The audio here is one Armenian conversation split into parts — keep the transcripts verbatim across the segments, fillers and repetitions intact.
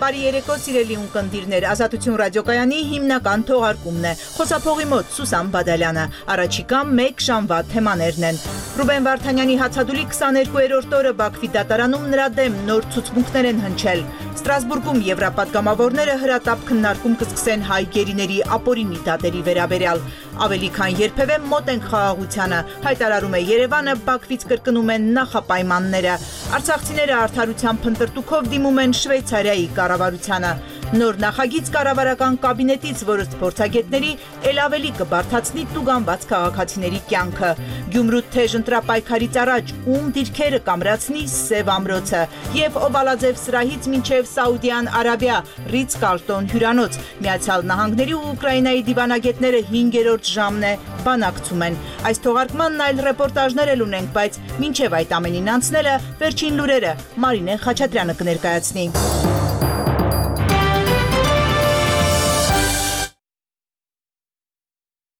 Բարի երեկո սիրելի ունկնդիրներ, Ազատություն ռադիոկայանի հիմնական թողարկումն է։ Խոսափողի մոտ Սուսան Բադալյանը, առաջիկա մեկ ժամվա թեմաներն են։ Ռուբեն Վարդանյանի հացադուլի քսաներկուերորդ օրը Բաքվի դատարանում նրա դեմ նոր ցուցմունքներ են հնչել։ Ստրասբուրգում եվրապատգամավորները հրատապ քննարկում կսկսեն հայ գերիների ապօրինի դատերի վերաբերյալ։ Ավելի քան երբևէ մոտ են խաղաղությանը, հայտարարում է Երևանը, Բաքվից կրկնում են նախապայմանները։ Արցախցիները արդարության փնտրտուքով դիմում են Շվեյցարիայի կառավարությանը։ Նոր նախագիծ կառավարական կաբինետից, որը փորձագետների ել ավելի կբարդացնի տուգանված քաղաքացիների կյանքը։ Գյումրու թեժ ընտրապայքարից առաջ ում դիրքերը կամրացնի Սև ամրոցը եւ Օվալաձև սրահից մինչեւ Սաուդյան Արաբիա Ռից Կալտոն հյուրանոց։ Միացյալ Նահանգների ու Ուկրաինայի դիվանագետները հինգերորդ ժամն է բանակցում են։ Այս թողարկմանն այլ ռեպորտաժներ էլ ունենք, բայց մինչեւ այդ ամենին անցնելը վերջին լուրերը Մարինե Խաչատրյանը կներկայացնի։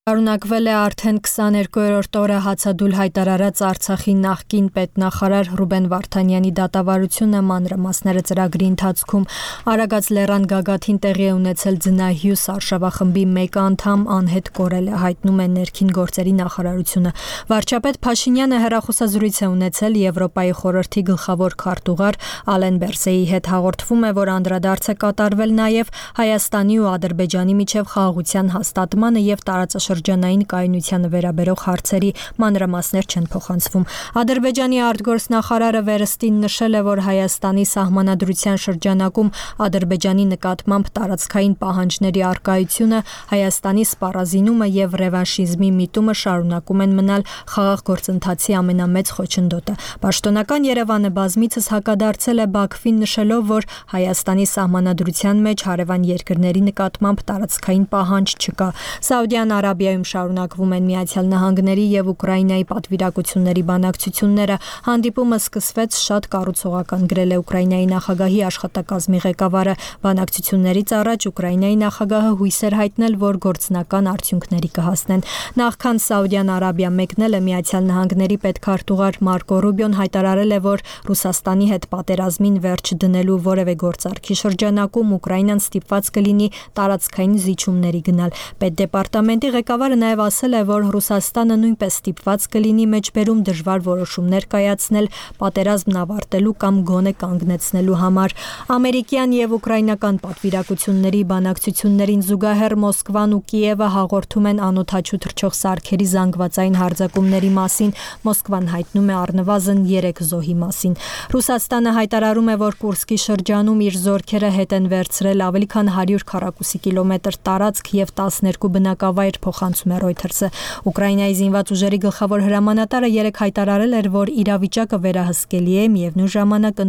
Շարունակվել է արդեն քսաներկուերորդ օրը հացադուլ հայտարարած Արցախի նախկին պետնախարար Ռուբեն Վարդանյանի դատավարությունը մանրամասները ծրագրի ընթացքում Արագած լեռան գագաթին տեղի է ունեցել ձնահյուս արշավախմբի մեկ անդամ անհետ կորել է, հայտնում է ներքին գործերի նախարարությունը։ Վարչապետ Փաշինյանը հեռախոսազրույց է ունեցել Եվրոպայի խորհրդի գլխավոր քարտուղար Ալեն Բերսեի հետ, հաղորդվում է, որ անդրադարձ է կատարվել նաև Հայաստանի ու Ադրբեջանի միջև խաղաղության հաստատմանը եւ տարածաշրջանային Շրջանային կայունությանը վերաբերող հարցերի մանրամասներ չեն փոխանցվում։ Ադրբեջանի արտգործնախարարը վերստին նշել է, որ Հայաստանի սահմանադրության շրջանակում Ադրբեջանի նկատմամբ տարածքային պահանջների առկայությունը, Հայաստանի սպառազինումը եւ ռևանշիզմի միտումը շարունակում են մնալ խաղաղ գործընթացի ամենամեծ խոչընդոտը։ Պաշտոնական Երևանը բազմիցս հակադարձել է Բաքվին, նշելով, որ Հայաստանի սահմանադրության մեջ հարևան երկրների նկատմամբ տարածքային պահանջ չկա։ Սաուդյան Արաբիայում շարունակվում են Միացյալ Նահանգների եւ Ուկրաինայի պատվիրակությունների բանակցությունները։ Հանդիպումը սկսվեց շատ կառուցողական, գրել է Ուկրաինայի նախագահի աշխատակազմի ղեկավարը։ Բանակցություններից առաջ Ուկրաինայի նախագահը հույս էր հայտնել, որ գործնական արդյունքների կհասնեն։ Նախքան Սաուդյան Արաբիա մեկնելը Միացյալ Նահանգների պետքարտուղար Մարկո Ռուբիոն հայտարարել է, որ Ռուսաստանի հետ պատերազմին վերջ դնելու որևէ գործարքի շրջանակում Ուկրաինան ստիպված կլինի տարածքային զիջումների գնալ։ Պետդեպարտամենտի ղեկավարը նաև ասել է, որ Ռուսաստանը նույնպես ստիպված կլինի մեջբերում դժվար որոշումներ կայացնել պատերազմն ավարտելու կամ գոնե կանգնեցնելու համար։ Ամերիկյան եւ ուկրաինական պատվիրակությունների բանակցություններին զուգահեռ Մոսկվան ու Կիևը հաղորդում են անօդաչու թռչող սարքերի զանգվածային հարձակումների մասին։ Մոսկվան հայտնում է առնվազն երեք զոհի մասին։ Ռուսաստանը հայտարարում է, որ Կուրսկի շրջանում իր զորքերը հետ են վերցրել ավելի քան հարյուր քառակուսի կիլոմետր տարածք եւ տասներկու բնակավայր, փոխանցում է Reuters-ը։ Ուկրաինայի զինված ուժերի գլխավոր հրամանատարը երեկ հայտարարել էր, որ իրավիճակը վերահսկելի է, միևնույն ժամանակ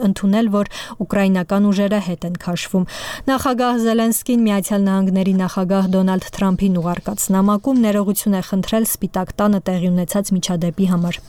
ընդունել, որ ուկրաինական ուժերը հետ են քաշվում։ Նախագահ Զելենսկին Միացյալ Նահանգների նախագահ Դոնալդ Թրամփին ուղարկած նամակում ներողություն է խնդրել Սպիտակ տանը տեղի ունեցած միջադեպի համար։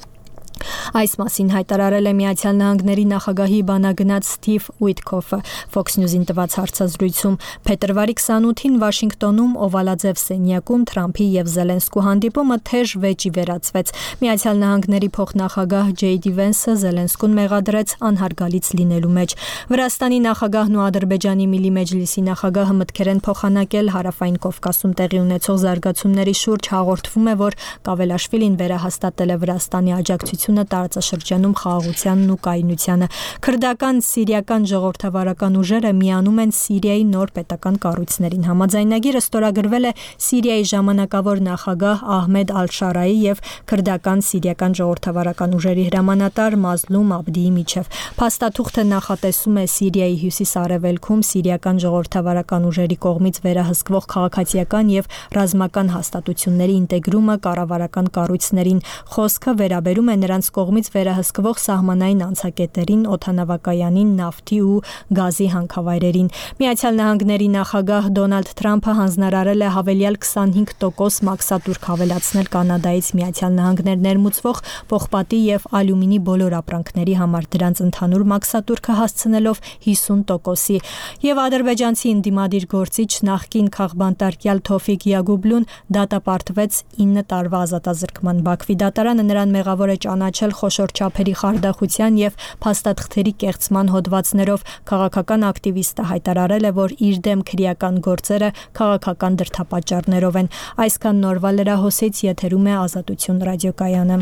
Այս մասին հայտարարել է Միացյալ Նահանգների նախագահի բանագնաց Սթիվ Ուիտքոֆը Fox News-ին տված հարցազրույցում։ Փետրվարի քսանութին Վաշինգտոնում Օվալաձև սենյակում Թրամփի եւ Զելենսկու հանդիպումը թեժ վեճի վերածվեց։ Միացյալ Նահանգների փոխնախագահ Ջեյ Դի Վենսը Զելենսկուն մեղադրեց անհարգալից լինելու մեջ։ Վրաստանի նախագահն ու Ադրբեջանի Միլի Մեջլիսի նախագահը մտքեր են փոխանակել Հարավային Կովկասում տեղի ունեցող զարգացումների շուրջ։ Հաղորդվում է, որ Կավելաշվիլին վերահաստատել է Վրաստանի աջակցությունը տարածաշրջանում խաղաղությանն ու կայունությանը։ Քրդական սիրիական ժողովրդավարական ուժերը միանում են Սիրիայի նոր պետական կառույցներին։ Համաձայնագիրը ստորագրվել է Սիրիայի ժամանակավոր նախագահ Ահմեդ Ալ-Շարայի եւ քրդական սիրիական ժողովրդավարական ուժերի հրամանատար Մազլում Աբդիի միջև։ Փաստաթուղթը նախատեսում է Սիրիայի հյուսիս-արևելքում սիրիական ժողովրդավարական ուժերի կողմից վերահսկվող քաղաքացիական եւ ռազմական հաստատությունների ինտեգրումը կառավարական կառույցներին։ Խոսքը վերաբերում է նրանց կողմից վերահսկվող սահմանային անցակետերին, օդանավակայանին, նավթի ու գազի հանքավայրերին։ Միացյալ Նահանգների նախագահ Դոնալդ Թրամփը հանձնարարել է հավելյալ քսանհինգ տոկոս մաքսատուրք հավելացնել Կանադայից Միացյալ Նահանգներ ներմուծվող պողպատի եւ ալյումինի բոլոր ապրանքների համար, դրանց ընդհանուր մաքսատուրքը հասցնելով հիսուն տոկոսի։ Եվ ադրբեջանցի ընդդիմադիր գործիչ նախկին քաղբանտարկյալ Թոֆիկ Յագուբլուն դատապարտվեց ինը տարվա ազատազրկման։ Բաքվի դատարանը նրան մեղավոր է ճանաչել ճանաչել խոշոր չափերի խարդախության եւ փաստաթղթերի կեղծման հոդվածներով, քաղաքական ակտիվիստը հայտարարել է, որ իր դեմ քրեական գործերը քաղաքական դրդապատճառներով են։ Այսքան նորվա լրահոսից եթերում է Ազատություն ռադիոկայանը։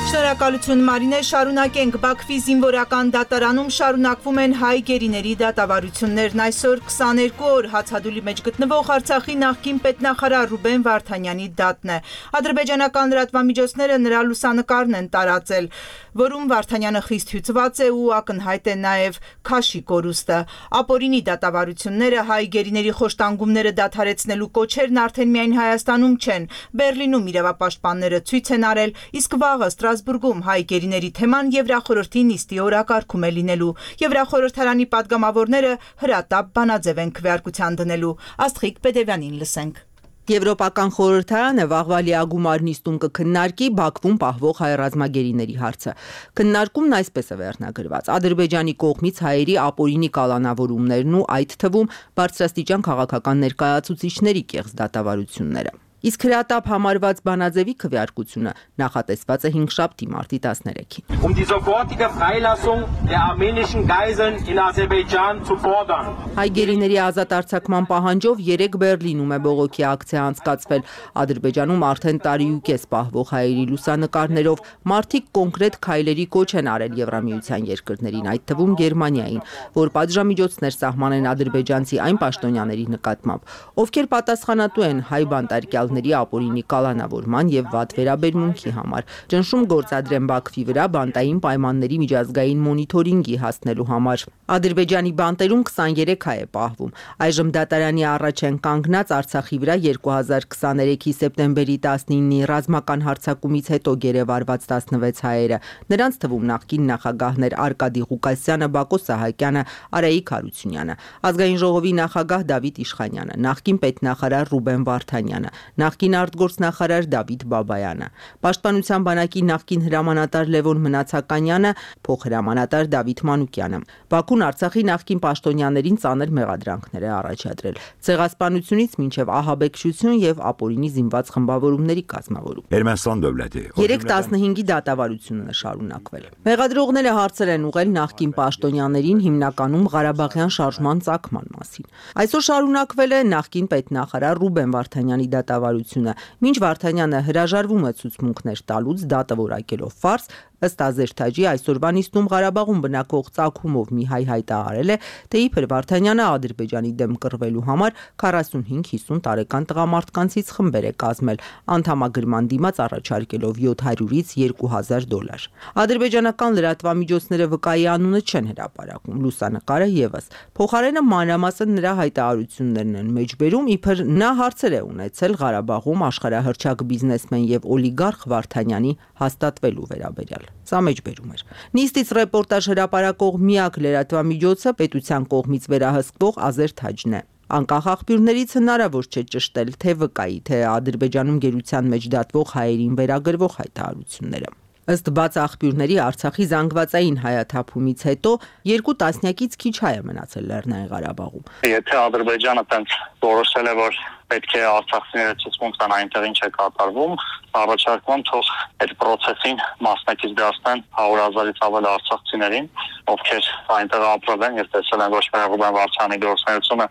Շնորհակալություն Մարինե, շարունակենք։ Բաքվի զինվորական դատարանում շարունակվում են հայ գերիների դատավարություններն։ Այսօր քսաներկու օր հացադուլի մեջ գտնվող Արցախի նախկին պետնախարար Ռուբեն Վարդանյանի դատն է։ Ադրբեջանական լրատվամիջոցները նրա լուսանկարն են տարածել, որում Վարդանյանը խիստ հյուծված է ու ակնհայտ է նաև քաշի կորուստը։ Ապօրինի դատավարությունները, հայ գերիների խոշտանգումները դադարեցնելու կոչերն արդեն միայն Հայաստանում չեն։ Բեռլինում իրավապաշտպանները ցույց են արել, իսկ վաղը Ստրասբուրգում հայ գերիների թեման Եվրախորհրդի նիստի օրակարգում է լինելու։ Եվրախորհրդարանի պատգամավորները հրատապ բանաձև են քվեարկության դնելու։ Աստղիկ Պետևյանին լսենք։ Եվրոպական խորհրդարանը վաղվա լիագումար նիստում կքննարկի Բաքվում պահվող հայ ռազմագերիների հարցը։ Քննարկումն այսպես է վերնագրված. Ադրբեջանի կողմից հայերի ապօրինի կալանավորումներն ու այդ թվում բարձրաստիճան քաղաքական ներկայացուցիչների կեղծ դատավարությունները։ Իսկ հրատապ համարված բանաձևի քվեարկությունը նախատեսված է հինգշաբթի մարտի տասներեքին։ Um die sofortige Freilassung der armenischen Geiseln in Aserbaidschan zu fordern. Հայ գերիների ազատ արձակման պահանջով երեք Բեռլինում է բողոքի ակցիա անցկացվել։ Ադրբեջանում արդեն տարի ու կես պահվող հայերի լուսանկարներով մարդիկ կոնկրետ քայլերի կոչ են արել Եվրամիության երկրներին, այդ թվում Գերմանիային, որ պատժամիջոցներ սահմանեն ադրբեջանցի այն պաշտոնյաների նկատմամբ, ովքեր պատասխանատու են հայ բանտարկյալների ապօրինի կալանավորման եւ վատ վերաբերմունքի համար, ճնշում գործադրեն Բաքվի վրա բանտային պայմանների միջազգային մոնիթորինգի հասնելու համար։ Ադրբեջանի բանտերում քսաներեք հայ է պահվում։ Այժմ դատարանի առաջ են կանգնած Արցախի վրա երկու հազար քսաներեքի սեպտեմբերի տասնինի ռազմական հարձակումից հետո գերեվարված տասնվեց հայերը։ Նրանց թվում նախկին նախագահներ Արկադի Ղուկասյանը, Բակո Սահակյանը, Արայիկ Հարությունյանը, Ազգային ժողովի նախագահ Դավիթ Իշխանյանը, նախկին պետնախարար Ռուբեն Վարդանյանը, նախկին արտգործնախարար Դավիթ Բաբայանը, Պաշտպանության բանակի նախկին հրամանատար Լևոն Մնացականյանը, փոխհրամանատար Դավիթ Մանուկյանը։ Բաքուն Արցախի նախկին պաշտոնյաներին ծանր մեղադրանքներ է առաջադրել, ցեղասպանությունից մինչև ահաբեկչություն եւ ապօրինի զինված խմբավորումների կազմավորում։ Ermənistan dövləti երեք տասնհինգի դատավարությունն է շարունակվել։ Մեղադրողները հարցեր են ուղղել նախկին պաշտոնյաներին հիմնականում Ղարաբաղյան շարժման ծագման մասին։ Այսօր շարունակվել է նախկին պետնախարար Ռուբեն Վարդանյանի դատավարությունը, մինչ Վարդանյանը հրաժարվում է ցուցմունքներ տալուց դատը որակելով ֆարս, ըստ Ազերթաջի այսօրվա նիստում Ղարաբաղում բնակվող ծագումով մի հայ հայտարարել է, թե իբր Վարդանյանը Ադրբեջանի դեմ կռվելու համար քառասունհինգ հիսուն տարեկան տղամարդկանցից խմբեր է կազմել, անդամագրման դիմաց առաջարկելով յոթ հարյուրից երկու հազար դոլար։ Ադրբեջանական լրատվամիջոցները վկայի անունը չեն հրապարակում, լուսանկարը եւս։ Փոխարենը մանրամասն նրա հայտարարություններն են մեջբերում, իբր նա հարցեր է ունեցել Ղարաբաղում աշխարհահռչակ բիզնեսմեն եւ օլիգարխ Վարդանյանի հաստատվելու վերաբերյալ։ Սա մեջբերում էր։ Նիստից ռեպորտաժ հրապարակող միակ լրատվամիջոցը պետության կողմից վերահսկվող Ազերթաջն է։ Անկախ աղբյուրներից հնարավոր չէ ճշտել թե վկայի, թե Ադրբեջանում գերության մեջ դատվող հայերին վերագրվող հայտարարությունները։ Ըստ բաց աղբյուրների Արցախի զանգվածային հայաթափումից հետո երկու տասնյակից քիչ հայ է մնացել Լեռնային Ղարաբաղում։ Եթե Ադրբեջանը տենց որոշել է, որ պետք է արցախցիները ցուցմունք տան այնտեղ ինչ է կատարվում, առաջարկում թող այդ process-ին մասնակից դարձնեն հարյուր հազարից ավել արցախցիներին, ովքեր այնտեղ ապրել են եւ տեսել են ոչ միայն Ռուբեն Վարդանյանի գործունեությունը,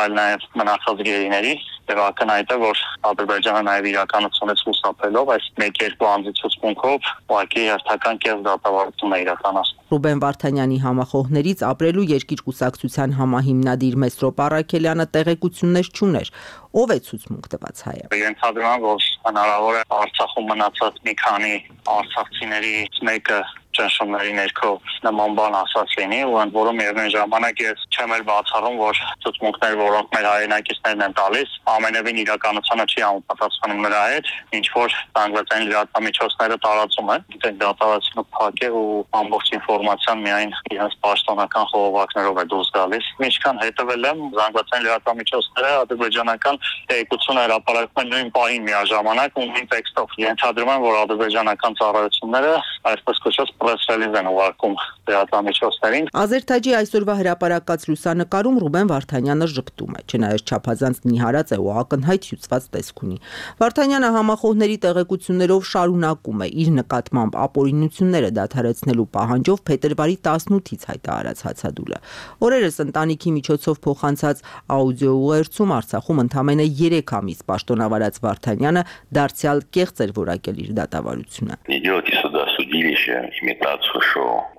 այլ նաեւ մնացած գերիների, եւ ակնհայտ է, որ Ադրբեջանը նաեւ իրականությունից խուսափելով այս մեկ-երկու անձի ցուցմունքով ուղղակի հերթական կերպ դատավարություն է իրականացնում։ Ռուբեն Վարդանյանի համախոհներից ապրելու երկիր կուսակցության համահիմնադիր Մեսրոպ Առաքելյանը տեղեկություններ չուներ, ով է ցուցմունք տված հայը։ Ենթադրում եմ, որ հնարավոր է Արցախում մնացած մի քանի արցախցիներից մեկը ճնշումների ներքո նման բան ասած լինի, ու ընդ որում միևնույն ժամանակ ես չեմ էլ բացառում, որ ցուցմունքներ, որոնք մեր հայրենակիցներն են տալիս, ամենևին իրականությունը չի համապատասխանում նրա հետ, ինչ որ զանգվածային լրատվամիջոցները տարածում են, գիտեք դատավարությունը փակ է ու ամբողջ ինֆորմացիան միայն իրենց պաշտոնական խողովակներով է դուրս գալիս։ Ինչքան հետևել եմ, զանգվածային լրատվամիջոցները ադրբեջանական տեղեկություն հրապարակում են նույն պահին միաժամանակ ու նույն տեքստով։ Ենթադրում եմ, որ ադրբեջանական ծառայությունները այսպես կոչված press release են ուղարկում լրատվամիջոցներին։ Ազերթաջի այսօրվա հրապարակած լուսանկարում Ռուբեն Վարդանյանը ժպտում է, չնայած չափազանց նիհարած է ու ակնհայտ հյուծված տեսք ունի։ Վարդանյանը համախոհների տեղեկություններով շարունակում է իր նկատմամբ ապօրինությունները դադարեցնելու պահանջով փետրվարի տասնութից հայտարարած հացադուլը։ Օրերս ընտանիքի միջոցով փոխանցած աուդիո ուղերձում Արցախում ընդամենը երեք ամիս պաշտոնավարած Վարդանյանը դարձյալ կեղծ էր որակել իր դատավարությունը։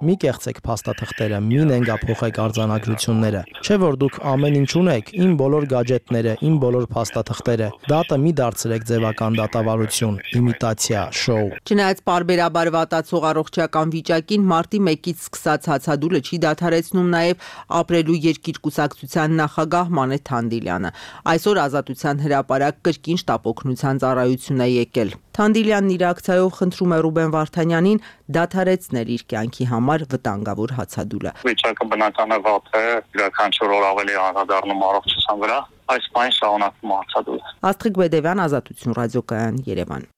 Մի կեղծեք փաստաթղթերը, մի նենգափոխեք արձանագրությունները։ Չէ որ դուք ամեն ինչ ունեք, իմ բոլոր գadgetները, իմ բոլոր փաստաթղթերը։ Դատը մի դարձրեք ձևական դատավարություն, իմիտացիա, շոու։ Չնայած պարբերաբար վատացող առողջական վիճակին մարտի մեկից սկսած հացադուլը չի դադարեցնում նաև ապրելու երկիր կուսակցության նախագահ Մանեթ Թանդիլյանը։ Այսօր Ազատության հրապարակ կրկին շտապօգնության ծառայություն է եկել։ Թանդիլյանն իր ակցիայով խնդրում է Ռուբեն Վարդանյանին դադարեցնել իր կյանքի համար վտանգավոր հացադուլը։ Վիճակը բնական է վատ է, յուրաքանչյուր օր ավելի անդրադառնում առողջության վրա, այս պայն շարունակվում հացադուլը։ Աստղիկ Բեդևյան, Ազատություն ռադիոկայան, Երևան։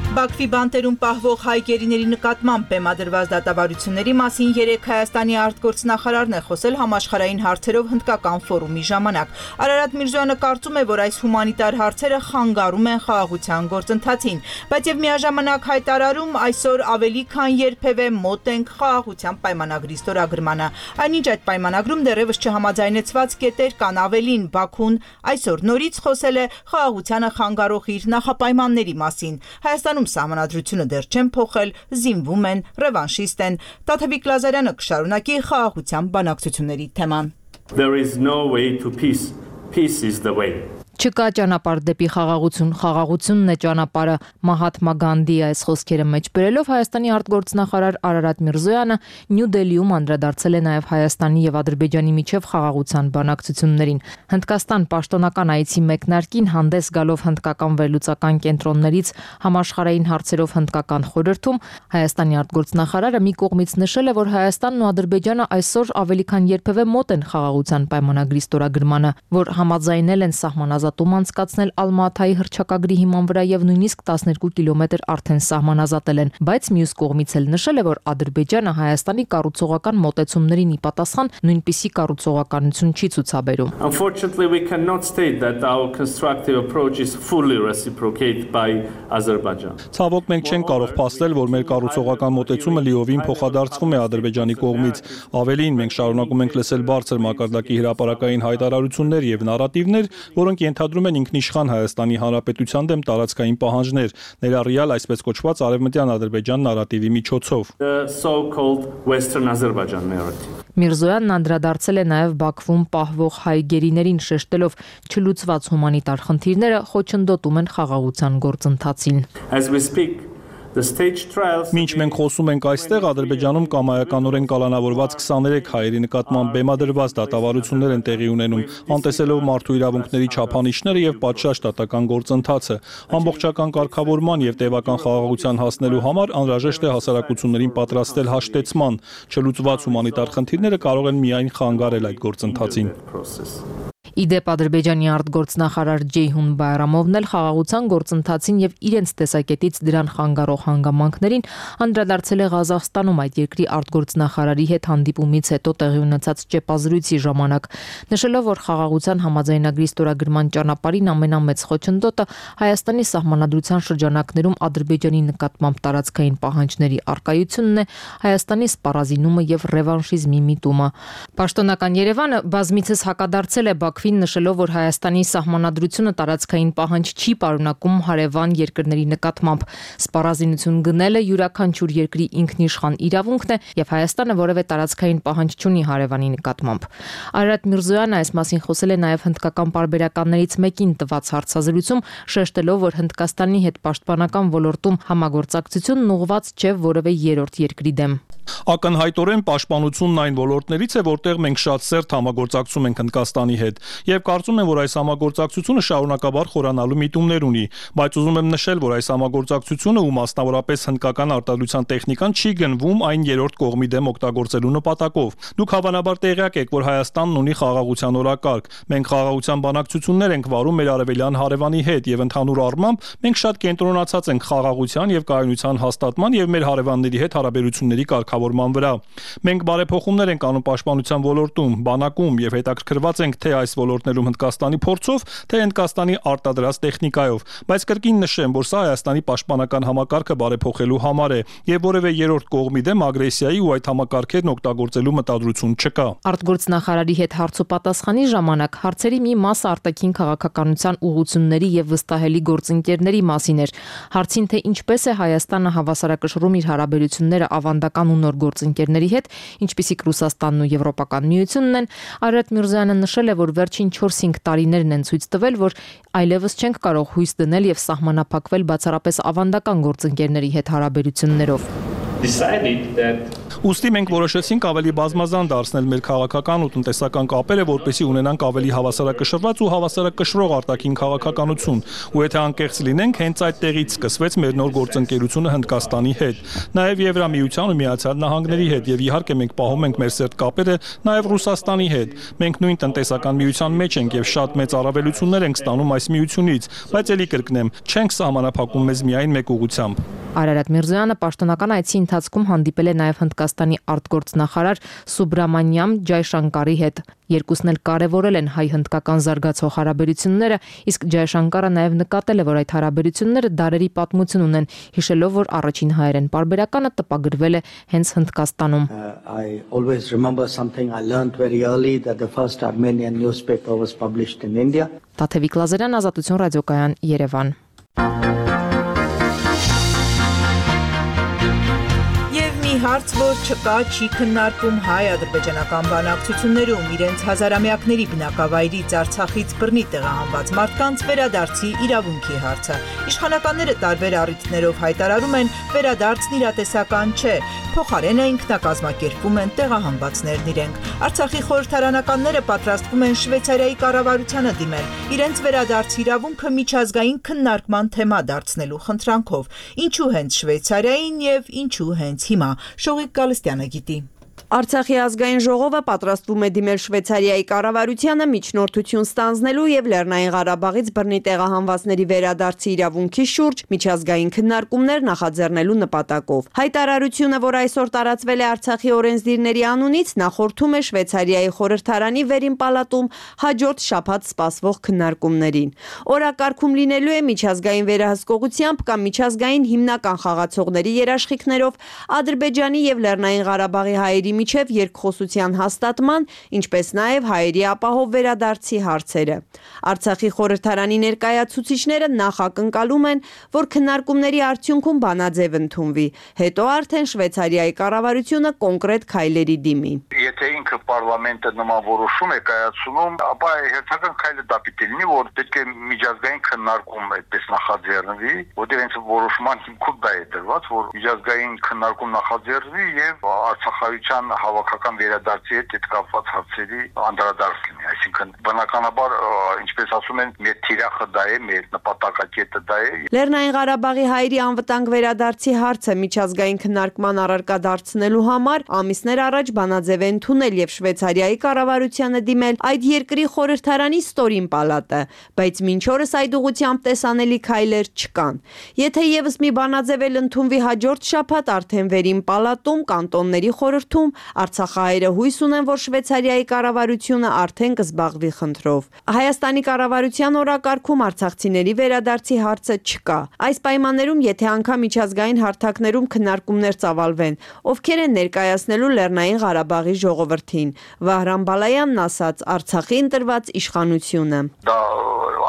Բաքվի բանտերում պահվող հայ գերիների նկատմամբ բեմադրված դատավարությունների մասին երեկ Հայաստանի արտգործնախարարն է խոսել համաշխարհային հարցերով հնդկական ֆորումի ժամանակ։ Արարատ Միրզոյանը կարծում է, որ այս հումանիտար հարցերը խանգարում են խաղաղության գործընթացին, բայց եւ միաժամանակ հայտարարում այսօր ավելի քան երբևէ մոտ ենք խաղաղության պայմանագրի ստորագրմանը։ Այնինչ այդ պայմանագրում դեռևս չհամաձայնեցված կետեր կան, ավելին Բաքուն այսօր նորից խոսել է խաղաղությանը խանգարող իր նախապայմանների մասին։ Հայաստանում Սահմանադրությունը դեռ չեն փոխել, զինվում են, ռևանշիստ են։ Տաթևիկ Լազարյանը կշարունակի խաղաղության բանակցությունների թեման։ There is no way to peace. Peace is the way. Չկա ճանապարհ դեպի խաղաղություն, խաղաղությունն է ճանապարհը։ Մահաթմա Գանդի այս խոսքերը մեջ բերելով Հայաստանի արտգործնախարար Արարատ Միրզոյանը Նյու Դելիում անդրադարձել է նաև Հայաստանի եւ Ադրբեջանի միջև խաղաղության բանակցություններին։ Հնդկաստան պաշտոնական այցի մեկնարկին հանդես գալով հնդկական վերլուծական կենտրոններից համաշխարհային հարցերով հնդկական խորհրդում Հայաստանի արտգործնախարարը մի կողմից նշել է, որ Հայաստանն ու Ադրբեջանը այսօր ավելի քան երբևէ մոտ են խաղաղության պայմանագրի ստորագրմանը, որ համաձայնել են սահմանազատ ում անցկացնել Ալմաթայի հռչակագրի հիման վրա եւ նույնիսկ տասներկու կիլոմետր արդեն սահմանազատել են, բայց մյուս կողմից էլ նշել է, որ Ադրբեջանը Հայաստանի կառուցողական մոտեցումներին ի պատասխան նույնպիսի կառուցողականություն չի ցուցաբերում։ Unfortunately, we cannot state that our constructive approach is fully reciprocated by Azerbaijan. Ցավոք մենք չենք կարող փաստել, որ մեր կառուցողական մոտեցումը լիովին փոխադարձվում է Ադրբեջանի կողմից։ Ավելին, մենք շարունակում ենք լսել բարձր մակարդակի հրապարակային հայտարարություններ եւ նարատիվներ, որոնք ենթադրում են ինքնիշխան Հայաստանի Հանրապետության դեմ տարածքային պահանջներ, ներառյալ այսպես կոչված արևմտյան Ադրբեջան նարատիվի միջոցով։ The so-called Western Azerbaijan narrative. Միրզոյանն անդրադարձել է նաև Բաքվում պահվող հայ գերիներին, շեշտելով չլուծված հումանիտար խնդիրները խոչընդոտում են խաղաղության գործընթացին։ As we speak, the stage trials. Մինչ մենք խոսում ենք այստեղ, Ադրբեջանում կամայականորեն կալանավորված քսաներեք հայերի նկատմամբ բեմադրված դատավարություններ են տեղի ունենում, անտեսելով մարդու իրավունքների չափանիշները եւ պատշաճ դատական գործընթացը։ Ամբողջական կարգավորման եւ տևական խաղաղության հասնելու համար անհրաժեշտ է հասարակություններին պատրաստել հաշտեցման։ Չլուծված հումանիտար խնդիրները կարող են միայն խանգարել այդ գործընթացին։ Իդեպ Ադրբեջանի արտգործնախարար Ջեյհուն Բայրամովն էլ խաղաղության գործընթացին եւ իրենց տեսակետից դրան խանգարող հանգամանքներին անդրադարձել է Ղազախստանում այդ երկրի արտգործնախարարի հետ հանդիպումից հետո տեղի ունեցած ճեպազրույցի ժամանակ, նշելով, որ խաղաղության համաձայնագրի ստորագրման ճանապարհին ամենամեծ խոչընդոտը Հայաստանի սահմանադրության շրջանակներում Ադրբեջանի նկատմամբ տարածքային պահանջների առկայությունն է, Հայաստանի սպառազինումը եւ ռևանշիզմի միտումը։ Պաշտոնական Երևանը բազմիցս հակադարձել է Բաքվի Արցախին, նշելով, որ Հայաստանի սահմանադրությունը տարածքային պահանջ չի պարունակում հարևան երկրների նկատմամբ։ Սպառազինություն գնելը յուրաքանչյուր երկրի ինքնիշխան իրավունքն է, եւ Հայաստանը որևէ տարածքային պահանջ չունի հարևանի նկատմամբ։ Արարատ Միրզոյանը այս մասին խոսել է նաեւ հնդկական պարբերականներից մեկին տված հարցազրույցում, շեշտելով, որ Հնդկաստանի հետ պաշտպանական ոլորտում համագործակցությունն ուղղված չէ որևէ երրորդ երկրի դեմ։ Ակնհայտորեն պաշտպանությունն այն ոլորտներից է, որտեղ մենք շատ սերտ համագործակցում ենք Հնդկաստանի հետ, եւ կարծում եմ, որ այս համագործակցությունը շարունակաբար խորանալու միտումներ ունի, բայց ուզում եմ նշել, որ այս համագործակցությունը ու մասնավորապես հնդկական արտադրության տեխնիկան չի գնվում այն երրորդ կողմի դեմ օգտագործելու նպատակով։ Դուք հավանաբար տեղյակ եք, որ Հայաստանն ունի խաղաղության օրակարգ։ Մենք խաղաղության բանակցություններ ենք վարում մեր արևելյան հարևանի հետ եւ ընդհանուր առմամբ մենք շատ կենտրոնացած ենք խաղաղության եւ կայունության հաստատման եւ մեր հարևանների հետ հարաբերությունների կարգավորման վրա։ Մենք բարեփոխումներ ենք անում պաշտպանության ոլորտում, բանակում եւ հետաքրքրված ենք թե այս ոլորտներում Հնդկաստանի փորձով, թե Հնդկաստանի արտադրած տեխնիկայով, բայց կրկին նշեմ, որ սա Հայաստանի պաշտպանական համակարգը բարեփոխելու համար է եւ որևէ երրորդ կողմի դեմ ագրեսիայի ու այդ համակարգերն օգտագործելու մտադրություն չկա։ Արտգործնախարարի հետ հարցոպատասխանի ժամանակ հարցերի մի մասը արտաքին քաղաքականության ուղղությունների եւ վստահելի գործընկերների մասին էր։ Հարցին, թե ինչպես է Հայաստանը հավասարակշռում իր հարաբերությունները ավանդական ու նոր գործընկերների հետ, ինչպիսիք Ռուսաստանն ու Եվրոպական միությունն են, Արարատ Միրզոյանը նշել է, որ վերջին չորս-հինգ տարիներն են ցույց տվել, որ այլևս չենք կարող հույս դնել եւ սահմանափակվել բացառապես ավանդական գործընկերների հետ հարաբերություններով։ Ուստի մենք որոշեցինք ավելի բազմազան դարձնել մեր քաղաքական ու տնտեսական կապերը, որպեսզի ունենանք ավելի հավասարակշռված ու հավասարակշռող արտաքին քաղաքականություն, ու եթե անկեղծ լինենք, հենց այդ տեղից սկսվեց մեր նոր գործընկերությունը Հնդկաստանի հետ, նաև Եվրամիության ու Միացյալ Նահանգների հետ, եւ իհարկե մենք պահում ենք մեր սերտ կապերը նաև Ռուսաստանի հետ։ Մենք նույն տնտեսական միության մեջ ենք եւ շատ մեծ առավելություններ ենք ստանում այս միությունից, բայց ելի կրկնեմ, չենք սահմանափակում մեզ միայն մեկ ուղղությամբ։ Արարատ Միրզոյանը պաշտոնական այցի ընթացքում հանդիպել է նաև Հնդկաստանի արտգործնախարար Սուբրամանյամ Ջայշանկարի հետ։ Երկուսն էլ կարևորել են հայ-հնդկական զարգացող հարաբերությունները, իսկ Ջայշանկարը նաև նկատել է, որ այդ հարաբերությունները դարերի պատմություն ունեն, հիշելով, որ առաջին հայերեն պարբերականը տպագրվել է հենց Հնդկաստանում։ I always remember something I learned very early that the first Armenian newspaper was published in India. Տաթևիկ Լազարյան, Ազատություն ռադիոկայան, Երևան։ Հարց, որ չկա, չի քննարկում հայ-ադրբեջանական բանակցություններում իրենց հազարամյակների բնակավայրից Արցախից բռնի տեղահանված մարդկանց վերադարձի իրավունքի հարցը։ Իշխանականները տարբեր առիթներով հայտարարում են, վերադարձն իրատեսական չէ, փոխարենը ինքնակազմակերպվում են տեղահանվածներն իրենք։ Արցախի խորհրդարանականները պատրաստվում են Շվեյցարիայի կառավարությանը դիմել իրենց վերադարձի իրավունքը միջազգային քննարկման թեմա դարձնելու խնդրանքով։ Ինչու հենց Շվեյցարիային եւ ինչու հենց հիմա։ Շողիկ Գալստյանը գիտի։ Արցախի ազգային ժողովը պատրաստվում է դիմել Շվեյցարիայի կառավարությանը միջնորդություն ստանձնելու եւ Լեռնային Ղարաբաղից բռնի տեղահանվածների վերադարձի իրավունքի շուրջ միջազգային քննարկումներ նախաձեռնելու նպատակով։ Հայտարարությունը, որ այսօր տարածվել է Արցախի օրենսդիրների անունից, նախորդում է Շվեյցարիայի խորհրդարանի վերին պալատում հաջորդ շաբաթ սպասվող քննարկումներին։ Օրակարգում լինելու է միջազգային վերահսկողությամբ կամ միջազգային հիմնական խաղացողների երաշխիքներով Ադրբեջանի եւ Լեռնային Ղարաբաղի հայերի միջև երկխոսության հաստատման, ինչպես նաև հայերի ապահով վերադարձի հարցերը։ Արցախի խորհրդարանի ներկայացուցիչները նախ ակնկալում են, որ քննարկումների արդյունքում բանաձև ընդունվի, հետո արդեն Շվեյցարիայի կառավարությունը կոնկրետ քայլերի դիմի։ Եթե ինքը պարլամենտը նման որոշում է կայացնում, ապա հերթական քայլը դա պիտի լինի, որ պետք է միջազգային քննարկում այդպես նախաձեռնվի, որտեղ հենց որոշման հիմքում դա է դրված, որ միջազգային քննարկում նախաձեռնվի եւ Արցախայության հավաքական վերադարձի հետ այդ կապված հարցերի անդրադարձ լինի, այսինքն բնականաբար, ինչպես ասում են, մեր թիրախը դա է, մեր նպատակակետը դա է։ Լեռնային Ղարաբաղի հայերի անվտանգ վերադարձի հարցը միջազգային քննարկման առարկա դարձնելու համար ամիսներ առաջ բանաձև է ընդունել եւ Շվեյցարիայի կառավարությանը դիմել այդ երկրի խորհրդարանի ստորին պալատը, բայց մինչ օրս այդ ուղղությամբ տեսանելի քայլեր չկան։ Եթե եւս մի բանաձև էլ ընդունվի հաջորդ շաբաթ, արդեն վերին պալատում կանտոնների խորհրդում Արցախահայերը հույս ունեն, որ Շվեյցարիայի կառավարությունը արդեն զբաղվի խնդրով։ Հայաստանի կառավարության օրակարգում արցախցիների վերադարձի հարցը չկա։ Այս պայմաններում, եթե անգամ միջազգային հարթակներում քննարկումներ ծավալվեն, ովքեր են ներկայացնելու Լեռնային Ղարաբաղի ժողովրդին, Վահրամ Բալայանն ասաց Արցախի ընտրված իշխանությունը։ Դա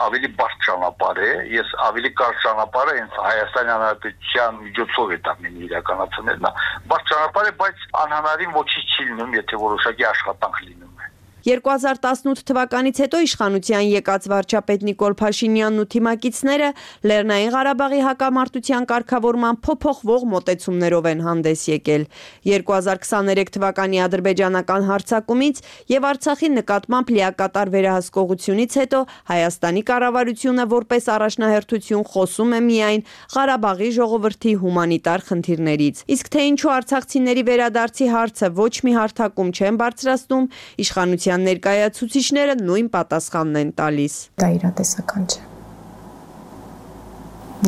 ավելի բարդ ճանապարհ է, ես ավելի կարճ ճանապարհը հենց Հայաստանի Հանրապետության միջոցով է տանում իրականացնել, նա բարդ ճանապարհ է, բայց անհնարին ոչինչ չի լինում, եթե որոշակի աշխատանք լինում է։ երկու հազար տասնութ թվականից հետո իշխանության եկած վարչապետ Նիկոլ Փաշինյանն ու թիմակիցները Լեռնային Ղարաբաղի հակամարտության կարգավորման փոփոխվող մոտեցումներով են հանդես եկել։ երկու հազար քսաներեք թվականի ադրբեջանական հարձակումից եւ Արցախի նկատմամբ լիակատար վերահսկողությունից հետո Հայաստանի կառավարությունը որպես առաջնահերթություն խոսում է միայն Ղարաբաղի ժողովրդի հումանիտար խնդիրներից։ Իսկ թե ինչու արցախցիների վերադարձի հարցը ոչ մի հարթակում չեն բարձրացնում, իշխանության ներկայացուցիչները նույն պատասխանն են տալիս։ Դա իրատեսական չէ։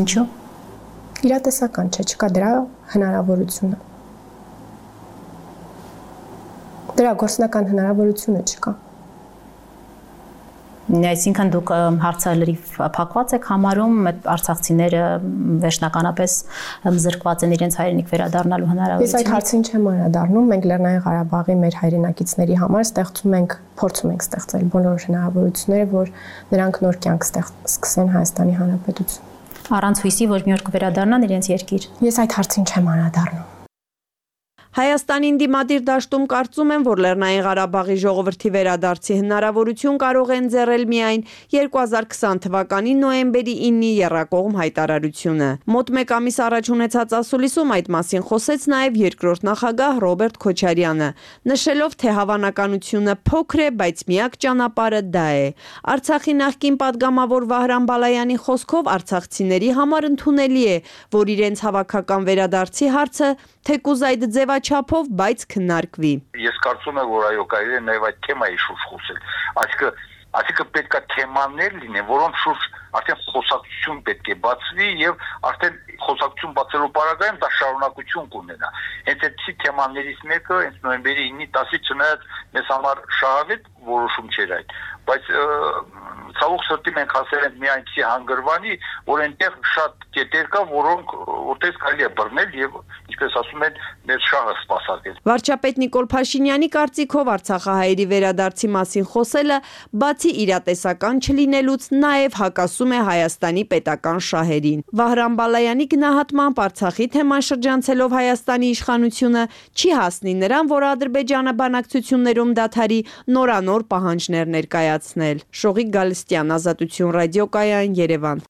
Ինչու՞։ Իրատեսական չէ, չկա դրա հնարավորությունը։ Դրա գործնական հնարավորությունը չկա։ Այսինքն դուք հարցը լրիվ փակված եք համարում, արցախցիները վերջնականապես զրկված են իրենց հայրենիք վերադառնալու հնարավորությունից։ Ես այդ հարցին չեմ անդրադառնում, մենք Լեռնային Ղարաբաղի մեր հայրենակիցների համար ստեղծում ենք, փորձում ենք ստեղծել բոլոր հնարավորությունները, որ նրանք նոր կյանք սկսեն Հայաստանի Հանրապետություն։ Առանց հույսի, որ մի օր կվերադառնան իրենց երկիր։ Ես այդ հարցին չեմ անդրադառնում։ Հայաստանին դիմադիր դաշտում կարծում են, որ Լեռնային Ղարաբաղի ժողովրդի վերադարձի հնարավորություն կարող են ձեռել միայն երկու հազար քսան թվականի նոյեմբերի իննի եռակողմ հայտարարությունը։ Մոտ մեկ ամիս առաջ ունեցած ասուլիսում այդ մասին խոսեց նաև երկրորդ նախագահ Ռոբերտ Քոչարյանը, նշելով, թե հավանականությունը փոքր է, բայց միակ ճանապարհը դա է։ Արցախի նախկին падգամավոր Վահրամ Բալայանի խոսքով արցախցիների համար ընդունելի է, որ իրենց հավաքական վերադարձի հարցը թեկուզ այդ ձևաչափով, բայց քննարկվի։ Ես կարծում եմ, որ այո, կարելի է նաև այդ թեմայի շուրջ խոսել։ Այսինքն, այսինքն պետք է թեմաներ լինեն, որոնց շուրջ արդեն խոսակցություն պետք է բացվի եւ արդեն խոսակցություն բացելու պարագայում դա շարունակություն կունենա։ Հենց այդպիսի թեմաներից մեկը հենց նոյեմբերի իննի տասի չնայած մեզ համար շահավետ որոշում չէր այդ, բայց ցավոք սրտի մենք հասել ենք մի այնպիսի հանգրվանի, որ այնտեղ շատ կետեր կա, որոնք որտեղ կարելի է բռնել եւ ինչպես ասում են, մեր շահը սպասարկել։ Վարչապետ Նիկոլ Փաշինյանի կարծիքով արցախահայերի վերադարձի մասին խոսելը բացի իրատեսական չլինելուց նաև հակասում է Հայաստանի պետական շահերին։ Վահրամ Բալայանի գնահատմամբ Արցախի թեման շրջանցելով Հայաստանի իշխանությունը չի հասնի նրան, որ Ադրբեջանը բանակցություններում դադարի նորանոր պահանջներ ներկայացնել։ Շողիկ Գալստյան, Ազատություն ռադիոկայան, Երևան։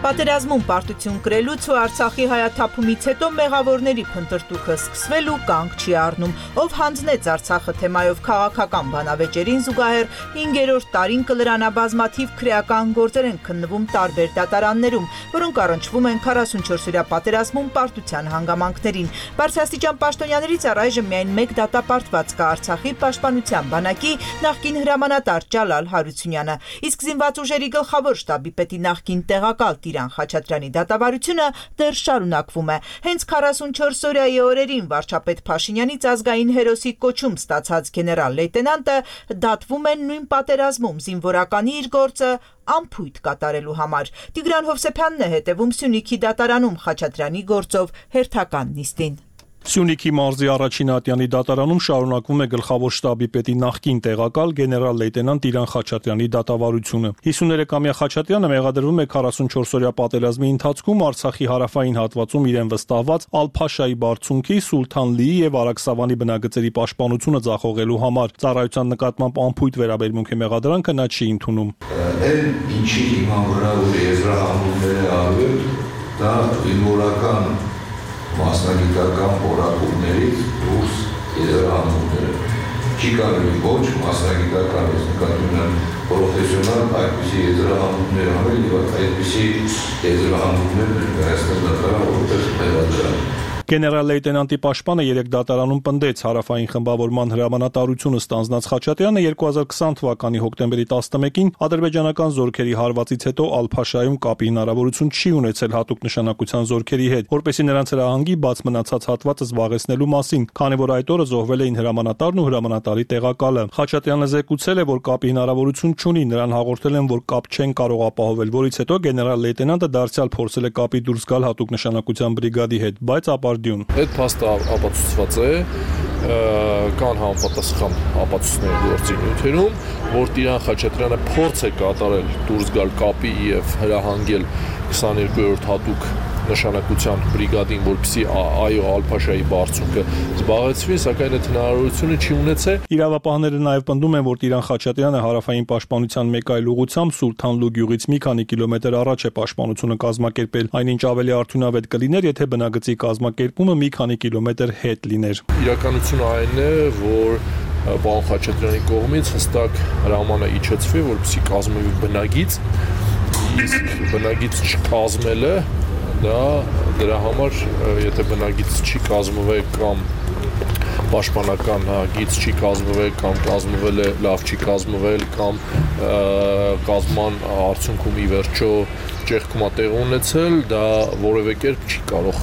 Պատերազմում պարտություն կրելուց ու Արցախի հայաթափումից հետո մեղավորների փնտրտուքը սկսվել ու կանգ չի առնում, ով հանձնեց Արցախը թեմայով քաղաքական բանավեճերին զուգահեռ հինգերորդ տարին կլրանա բազմաթիվ քրեական գործեր են քննվում տարբեր դատարաններում, որոնք առնչվում են քառասունչորսօրյա պատերազմում պարտության հանգամանքներին։ Բարձրաստիճան պաշտոնյաներից առայժմ միայն մեկ դատապարտված կա Արցախի պաշտպանության բանակի նախկին հրամանատար Ջալալ Հարությունյանը, իսկ զինված ուժերի գլխավոր շտաբի պետի նախկին տեղակալ Տիրան Խաչատրյանի դատավարությունը դեռ շարունակվում է։ Հենց քառասունչորսօրյայի օրերին վարչապետ Փաշինյանից ազգային հերոսի կոչում ստացած գեներալ լեյտենանտը դատվում է նույն պատերազմում զինվորականի իր գործը անփույթ կատարելու համար։ Տիգրան Հովսեփյանն է հետևում Սյունիքի դատարանում Խաչատրյանի գործով հերթական նիստին։ Սյունիքի մարզի առաջին ատյանի դատարանում շարունակվում է գլխավոր շտաբի պետի նախկին տեղակալ գեներալ լեյտենանտ Տիրան Խաչատրյանի դատավարությունը։ հիսուներեքամյա Խաչատրյանը մեղադրվում է քառասունչորսօրյա պատերազմի ընթացքում Արցախի հարավային հատվածում իրեն վստահված Ալ-Փաշայի բարձունքի, Սուլթան-Լիի եւ Արաքսավանի բնագծերի պաշտպանությունը ձախողելու համար։ Ծառայության նկատմամբ անփույթ վերաբերմունք է մեղադրանքը նա չի ընդունում։ Այն ինչի հիման վրա որ եզրահանգումները արվել, դա զինվորական մասնագիտական որակումներից դուրս եզրահանգումները։ Չի կարելի ոչ մասնագիտական նկատմամբ պրոֆեսիոնալ այդպիսի եզրահանգումներ անել եւ այդպիսի եզրահանգումներ ներկայացնել դատարան որպես մեղադրյալ։ Գեներալ լեյտենանտի պաշտպանը երեք դատարանում պնդեց հարավային խմբավորման հրամանատարությունը ստանձնած Խաչատրյանը երկու հազար քսան թվականի հոկտեմբերի տասնմեկին ադրբեջանական զորքերի հարվածից հետո Ալ-Փաշայում կապի հնարավորություն չի ունեցել հատուկ նշանակության զորքերի հետ, որպեսզի նրանց հրահանգի բաց մնացած հատվածը զբաղեցնելու մասին, քանի որ այդ օրը զոհվել էին հրամանատարն ու հրամանատարի տեղակալը։ Խաչատրյանը զեկուցել է, որ կապի հնարավորություն չունի, նրան հաղորդել են, որ կապ չեն կարող ապահովել, որից հետո գեներալ լեյտենանտը դարձյալ փորձել է կապի դուրս գալ հատուկ նշանակության բրիգադի հետ, բայց ապարդյուն։ Այդ փաստը ապացուցված է, կան համապատասխան ապացույցներ գործի նյութերում, որ Տիրան Խաչատրյանը փորձ է կատարել դուրս գալ կապի եւ հրահանգել քսաներկուերորդ հատուկ նշանակության բրիգադին, որպեսզի այո Ալ-Փաշայի բարձունքը զբաղեցվի, սակայն այդ հնարավորությունը չի ունեցել։ Իրավապահները նաև պնդում են, որ Տիրան Խաչատրյանը հարավային պաշտպանության մեկ այլ ուղղությամբ Սուլթանլու գյուղից մի քանի կիլոմետր առաջ է պաշտպանությունը կազմակերպել, այնինչ ավելի արդյունավետ կլիներ, եթե բնագծի կազմակերպումը մի քանի կիլոմետր հետ լիներ։ Իրականությունը այն է, որ պարոն Խաչատրյանի կողմից հստակ հրաման է իջեցվի, որպեսզի կազմվի բնագիծ, իսկ բնագիծ չկազմելը դա դրա համար եթե բնագիծ չի կազմվել կամ պաշտպանական գիծ չի կազմվել կամ կազմվել է լավ չի կազմվել կամ կազման արդյունքում ի վերջո ճեղքումա տեղ ունեցել, դա որևէ կերպ չի կարող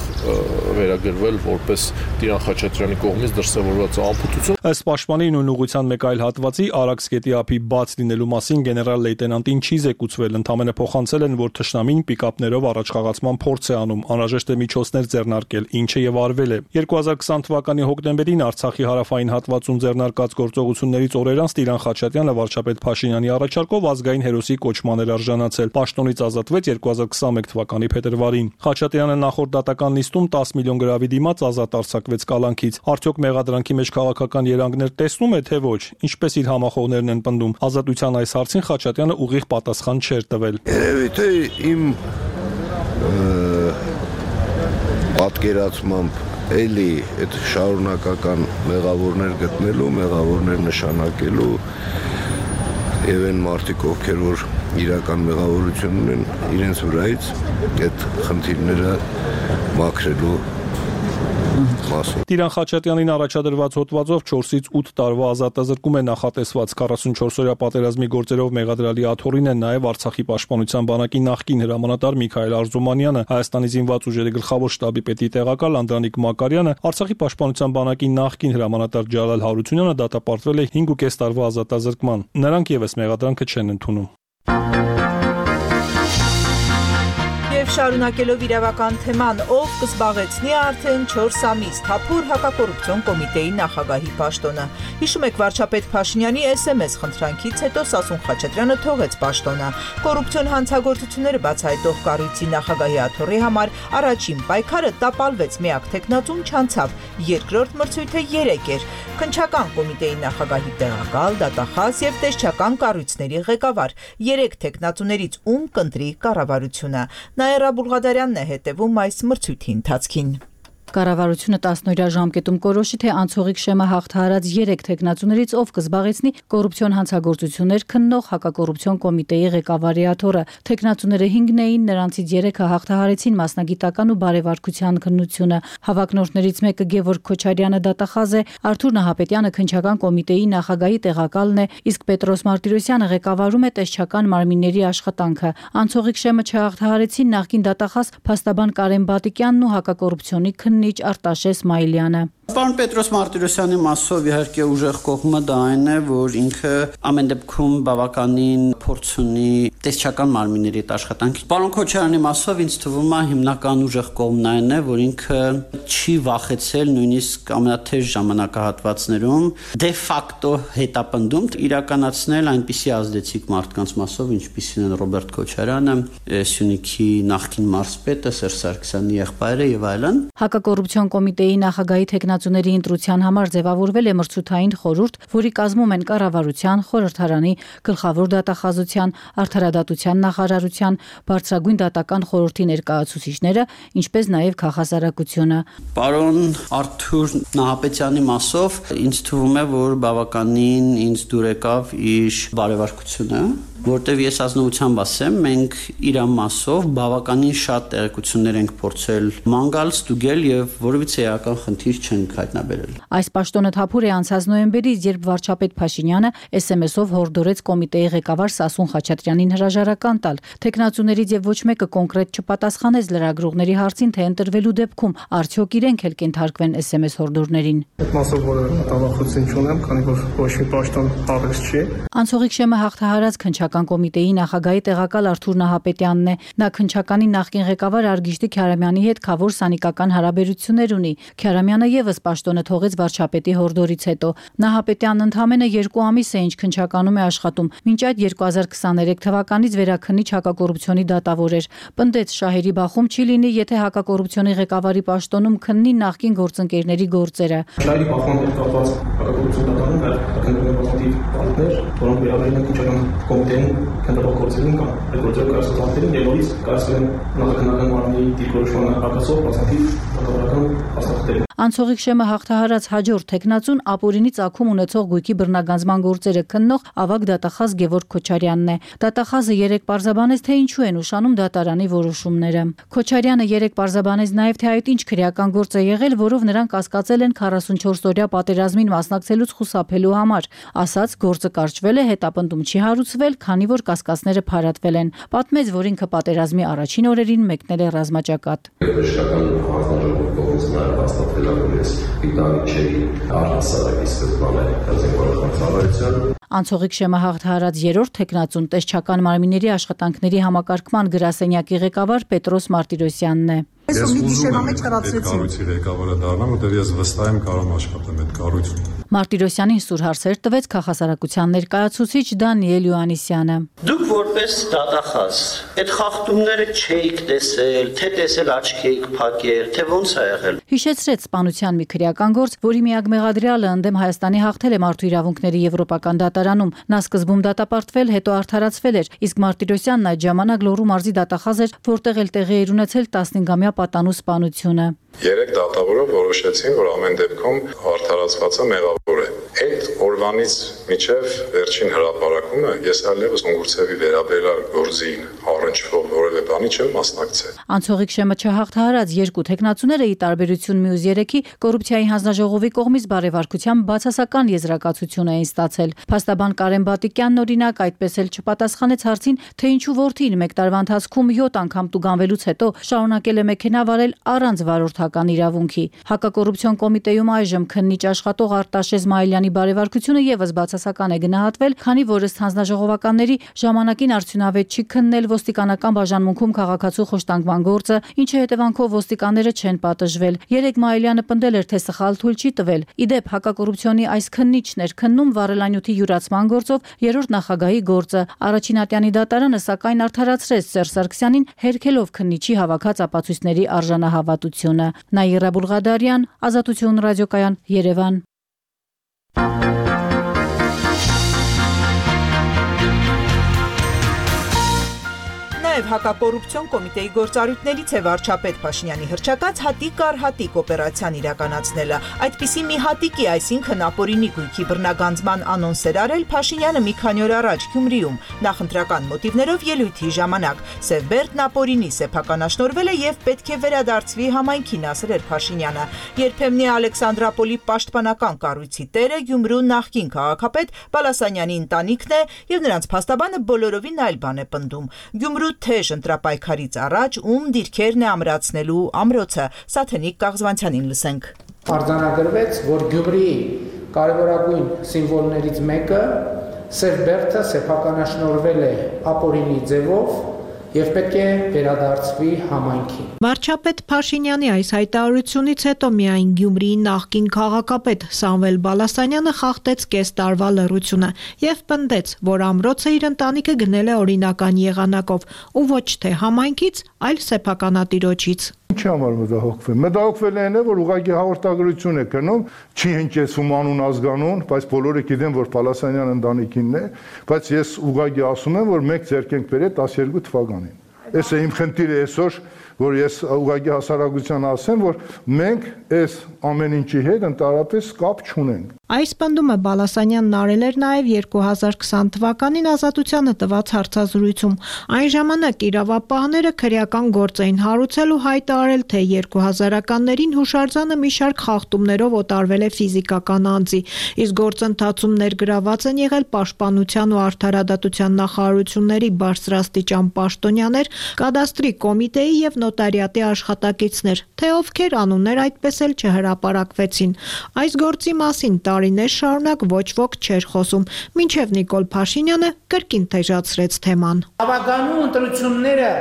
վերագրվել որպես Տիրան Խաչատրյանի կողմից դրսևորված անփութություն։ Ըստ պաշտպանի նույն ուղղության մեկ այլ հատվածի Արաքս գետի ափի բաց լինելու մասին գեներալ լեյտենանտին չի զեկուցվել, ընդամենը փոխանցել են, որ թշնամին պիկապներով առաջխաղացման փորձ է անում, անհրաժեշտ է միջոցներ ձեռնարկել, ինչը եւ արվել է։ երկու հազար քսան թվականի հոկտեմբերին Արցախի հարավային հատվածում ձեռնարկած գործողություններից օրեր անց Տիրան Խաչատրյանը վարչապետ Փաշինյանի առաջարկով ազգային հերոսի կոչման էր արժանացել, պաշտոնից ազատվեց երկու հազար քսանմեկ թվականի փետրվարին։ Խաչատրյանը նախորդ դատական նիստում տասը միլիոն գրավի դիմաց ազատ արձակվեց կալանքից։ Արդյոք մեղադրանքի մեջ քաղաքական երանգներ տեսնում է, թե ոչ։ Ինչպես իր համախոհներն են պնդում, ազատության այս հարցին Խաչատրյանը ուղիղ պատասխան չէր տվել։ Երևի թե իմ պատկերացմամբ էլի այդ շարունակական մեղավորներ գտնելու, մեղավորներ նշանակելու եւ այն մարդիկ, ովքեր որ իրական մեղավորություն ունեն, իրենց վրայից այդ խնդիրները մաքրելու մասին։ Տիրան Խաչատրյանին առաջադրված հոդվածով չորսից ութ տարվա ազատազրկում է նախատեսված։ քառասունչորսօրյա պատերազմի գործերով մեղադրյալի աթոռին է նաև Արցախի պաշտպանության բանակի նախկին հրամանատար Միքայել Արզումանյանը, Հայաստանի զինված ուժերի գլխավոր շտաբի պետի տեղակալ Անդրանիկ Մակարյանը, Արցախի պաշտպանության բանակի նախկին հրամանատար Ջալալ Հարությունյանը դատապարտվել է հինգ ու կես տարվա ազատազրկման։ Նրանք եւս մեղադրանքը չեն ընդունում։ Եվ շարունակելով իրավական թեման, ով կզբաղեցնի արդեն չորս ամիս Թափուր հակակոռուպցիոն կոմիտեի նախագահի պաշտոնը։ Հիշում եք, վարչապետ Փաշինյանի էս էմ էս խնդրանքից հետո Սասուն Խաչատրյանը թողեց պաշտոնը։ Կոռուպցիոն հանցագործությունները բացահայտող կառույցի նախագահի աթոռի համար առաջին պայքարը տապալվեց, միակ թեկնածուն չանցավ, երկրորդ մրցույթը երեք էր։ Քննչական կոմիտեի նախագահի տեղակալ, դատախազ եւ տեսչական կառույցների ղեկավար։ Երեք թեկնածուներից ում կընտրի կառավարությունը։ Նաիրա Բուլղադարյանն է հետևում այս մրցույթի ընթացքին։ Կառավարությունը տասնօրյա ժամկետում կորոշի, թե անցողիկ շեմը հաղթահարած երեք թեկնածուներից ով կզբաղեցնի կոռուպցիոն հանցագործություններ քննող հակակոռուպցիոն կոմիտեի ղեկավարի աթոռը։ Թեկնածուները հինգն էին, նրանցից երեքը հաղթահարեցին մասնագիտական ու բարեվարկության քննությունը։ Հավակնորդներից մեկը Գևորգ Քոչարյանը դատախազ է, Արթուր Նահապետյանը քննչական կոմիտեի նախագահի տեղակալն է, իսկ Պետրոս Մարտիրոսյանը ղեկավարում է տեսչական մարմինների աշխատանքը։ Անցողիկ շեմը չհաղթահարեցին նախկին դատախազ փաստաբան Կարեն Բատիկյանն ու հակակոռուպցիոնի քննիչ Արտաշես Մայլյանը։ Պարոն Պետրոս Մարտիրոսյանի մասով իհարկե ուժեղ կողմը դա այն է, որ ինքը ամեն դեպքում բավականին փորձ ունի տեսչական մարմինների աշխատանքի։ Պարոն Քոչարյանի մասով ինձ թվում է հիմնական ուժեղ կողմն այն է, որ ինքը չի վախեցել նույնիսկ ամենաթեժ ժամանակահատվածներում դե ֆակտո հետապնդում իրականացնել այնպիսի ազդեցիկ մարդկանց մասով, ինչպիսին են Ռոբերտ Քոչարյանը, Սյունիքի նախկին մարզպետը Սերժ Սարգսյանի եղբայրը եւ այլն։ Հակակոռուպցիոն կոմիտեի նախագահի թեկնածուների ընտրության համար ձևավորվել է մրցութային խորհուրդ, որի կազմում են կառավարության, խորհրդարանի, գլխավոր դատախազության, արդարադատության նախարարության, բարձրագույն դատական խորհրդի ներկայացուցիչները, ինչպես նաև քաղաքասարակությունը։ Պարոն Արթուր Նահապետյանի մասով ինձ թվում է, որ բավականին ինձ դուր եկավ իր բարեվարկությունը որտեվ ես ազնվությամբ ասեմ, մենք իր մասով բավականին շատ տեղեկություններ ենք փորձել մանգալ, ստուգել եւ որևիցե էական խնդիր չենք հայտնաբերել։ Այս պաշտոնը թափուր է անցած նոյեմբերից, երբ վարչապետ Փաշինյանը էս էմ էսով հորդորեց կոմիտեի ղեկավար Սասուն Խաչատրյանին հրաժարական տալ։ Տեխնացուներից եւ ոչ մեկը կոնկրետ չպատասխանեց լրագրողների հարցին, թե ընտրվելու դեպքում արդյոք իրենք էլ կենթարկվեն էս էմ էս հորդորներին։ Այդ մասով որը մտավախություն չունեմ, քանի որ ոչ մի պաշտոն տարես չի։ Անցողիկ շեմը հաղթահարած քննչական կոմիտեի նախագահի տեղակալ Արթուր Նահապետյանն է։ Նա քննչականի նախկին ղեկավար Արգիշտի Քյարամյանի հետ խավոր սանիկական հարաբերություններ ունի։ Քյարամյանը եւս պաշտոնը թողեց վարչապետի հորդորից հետո։ Նահապետյանն ընդամենը երկու ամիս է ինչ քննչականում է աշխատում։ Մինչ այդ երկու հազար քսաներեք թվականից վերաքննիչ հակակոռուպցիոնի դատավոր էր։ Պնդեց շահերի բախում չի լինի, եթե հակակոռուպցիոնի ղեկավարի պաշտոնում քննի նախկին գործընկերների գործերը։ Շահերի բախման հետ կապված հակակոռուպցիոն դատարանում քննարկել բազմաթիվ պատմեր, որոնք վերաբերում են քննչական կոմիտեին քննարկողություններին կամ այդ գործերը կայացուցաններին եւ նորից կայացվեն նախաքննական մարմնի դիրքորոշմանը հակասող բազմաթիվ դատավորական փաստաթղթեր։ Անցողիկ շեմը հաղթահարած հաջորդ տեխնացուն ապօրինի ծագում ունեցող գույքի բռնագանձման գործերը քննող ավագ դատախազ Գևորգ Քոչարյանն է։ Դատախազը երեք պարզաբանեց, թե ինչու են ուշանում դատարանի որոշումները։ Քոչարյանը երեք պարզաբանեց նաև, թե այդ ինչ քրեական գործ է եղել, որով նրան կասկածել են քառասունչորս օրյա պատերազմին մասնակցելուց խուսափելու համար։ Ասաց, գործը կարճվել է, հետապնդում չի հարուցվել, քանի որ կասկածները փարատվել են։ Պատմեց, որ ինքը պատերազմի առաջին օրերին մեկնել է ռազմաճակատ։ Բժշկական հանձնաժողովի կողմից նաև հաստատվել է, որ ես պիտանի չէի առհասարակի սկզբանե զինվորական ծառայության։ Անցողիկ շեմը հաղթահարած երրորդ տեխնացուն տեսչական մարմինների աշխատանքների համակարգման գրասենյակի ղեկավար Պետրոս Մարտիրոսյանն է։ Ես ուզում եմ այդ կառույցի ղեկավարը դառնամ, որտեղ ես վստահ եմ կարող եմ աշխատեմ այդ կառույցում։ Մարտիրոսյանին սուր հարցեր տվեց քաղաքասարակության ներկայացուցիչ Դանիել Յուանիսյանը։ Դուք որպես դատախազ այդ խախտումները չէիք տեսել, թե տեսել աչքի եք փակել, թե ոնց է եղել։ Հիշեցրեց սպանության մի քրեական գործ, որի միակ մեղադրյալը ընդդեմ Հայաստանի հաղթել է մարդու իրավունքների եվրոպական դատարանում։ Նա սկզբում դատապարտվել, հետո արդարացվել էր, իսկ Մարտիրոսյանն այդ ժամանակ Լոռու մարզի դատախազ էր, որտեղ էլ տեղի էր ունեցել տասնհինգամյա պատանու սպանությունը։ Երեք դատավորով որոշեցին, որ ամեն դեպքում արդարացվածը մեղավոր է։ Այդ օրվանից մինչև վերջին հրապարակումը ես այլևս Ունգուրցևի վերաբերյալ գործին առնչվող որևէ բանի չեմ մասնակցել։ Անցողիկ շեմը չհաղթահարած երկու տեխնացուները ի տարբերություն մյուս երեքի կոռուպցիայի հանձնաժողովի կողմից բարեվարկությամբ բացասական եզրակացություն էին ստացել։ Փաստաբան Կարեն Բատիկյանն օրինակ այդպես էլ չպատասխանեց հարցին, թե ինչու որդին մեկ տարվա ընթացքում յոթ անգամ տուգանվելուց հետո շարունակել է մեքենա վարել առանց վարորդական իրավունքի։ Հակակոռուպցիոն կոմիտեում այժմ քննիչ աշխատող Արտաշե Զմայելյանի բարեվարկությունը եւս բացասական է գնահատվել, քանի որ ըստ հանձնաժողովականների ժամանակին արդյունավետ չի քննել ոստիկանական բաժանմունքում քաղաքացու խոշտանգման գործը, ինչի հետևանքով ոստիկանները չեն պատժվել։ Երեք Մայելյանը պնդել էր, թե սխալ թույլ չի տվել։ Իդեպ հակակոռուպցիոնի այս քննիչն էր քննում վառելանյութի յուրացման գործով երրորդ նախագահի գործը։ Առաջին ատյանի դատարանը սակայն արդարացրեց Սերժ Սարգսյանին, հերքելով քննիչի հավաքած ապացույցների արժանահավատությունը։ Նաիրա Բուլղադարյան, Ազատություն ռադիոկայան, Երևան։ Նաև հակակոռուպցիոն կոմիտեի գործառույթներից է վարչապետ Փաշինյանի հռչակած հատիկ առ հատիկ օպերացիան իրականացնելը։ Այդպիսի մի հատիկի, այսինքն ապօրինի գույքի բռնագանձման անոնս էր արել Փաշինյանը մի քանի օր առաջ Գյումրիում, նախընտրական մոտիվներով ելույթի ժամանակ։ Սևբերդն ապօրինի սեփականաշնորհվել է եւ պետք է վերադարձվի համայնքին, ասել էր Փաշինյանը։ Երբեմնի Ալեքսանդրապոլի պաշտպանական կառույցի տերը Գյումրու նախկին քաղաքապետ Բալասանյանի ընտանիքն է եւ նրանց փաստաբանը բոլորովին այլ բան է պնդում։ Գյումրու թեժ ընտրապայքարից առաջ ում դիրքերն է ամրացնելու ամրոցը, Սաթենիկ Կաղզվանցյանին լսենք։ Արձանագրվեց, որ Գյումրիի կարևորագույն սիմվոլներից մեկը Սևբերդը սեփականաշնորհվել է ապօրինի ձևով եւ պետք է վերադարձվի համայնքին։ Վարչապետ Փաշինյանի այս հայտարարությունից հետո միայն Գյումրիի նախկին քաղաքապետ Սամվել Բալասանյանը խախտեց կես տարվա լռությունը եւ պնդեց, որ ամրոցը իր ընտանիքը գնել է օրինական եղանակով ու ոչ թե համայնքից, այլ սեփականատիրոջից։ Ինչի համար մտահոգվել։ Մտահոգվել են, որ ուղղակի հաղորդագրություն է գնում, չի հնչեցում անուն ազգանուն, բայց բոլորը գիտեն, որ Բալասանյան ընտանիքինն է, բայց ես ուղղակի ասում եմ, որ մեկ ձեռք ենք բերել տասներկու թվականին։ Էս է իմ խնդիրը այսօր որ ես ուղղակի հասարակության ասեմ, որ մենք այս ամեն ինչի հետ ընդհանրապես կապ չունենք։ Այս պնդումը Բալասանյանն արել էր նաև երկու հազար քսան թվականին Ազատությանը տված հարցազրույցում։ Այն ժամանակ իրավապահները քրեական գործ էին հարուցել ու հայտարարել, թե երկու հազարականներին հուշարձանը մի շարք խախտումներով օտարվել է ֆիզիկական անձի, իսկ գործընթացում ներգրաված են եղել Պաշտպանության ու Արդարադատության նախարարությունների բարձրաստիճան պաշտոնյաներ, կադաստրի կոմիտեի եւ նոտարիատի աշխատակիցներ, թե ովքեր անուններ այդպես էլ չհրապարակվեցին։ Այս գործի մասին տարիներ շարունակ ոչ ոք չէր խոսում, մինչև Նիկոլ Փաշինյանը կրկին թեժացրեց թեման։ Ավագանու ընտրությունները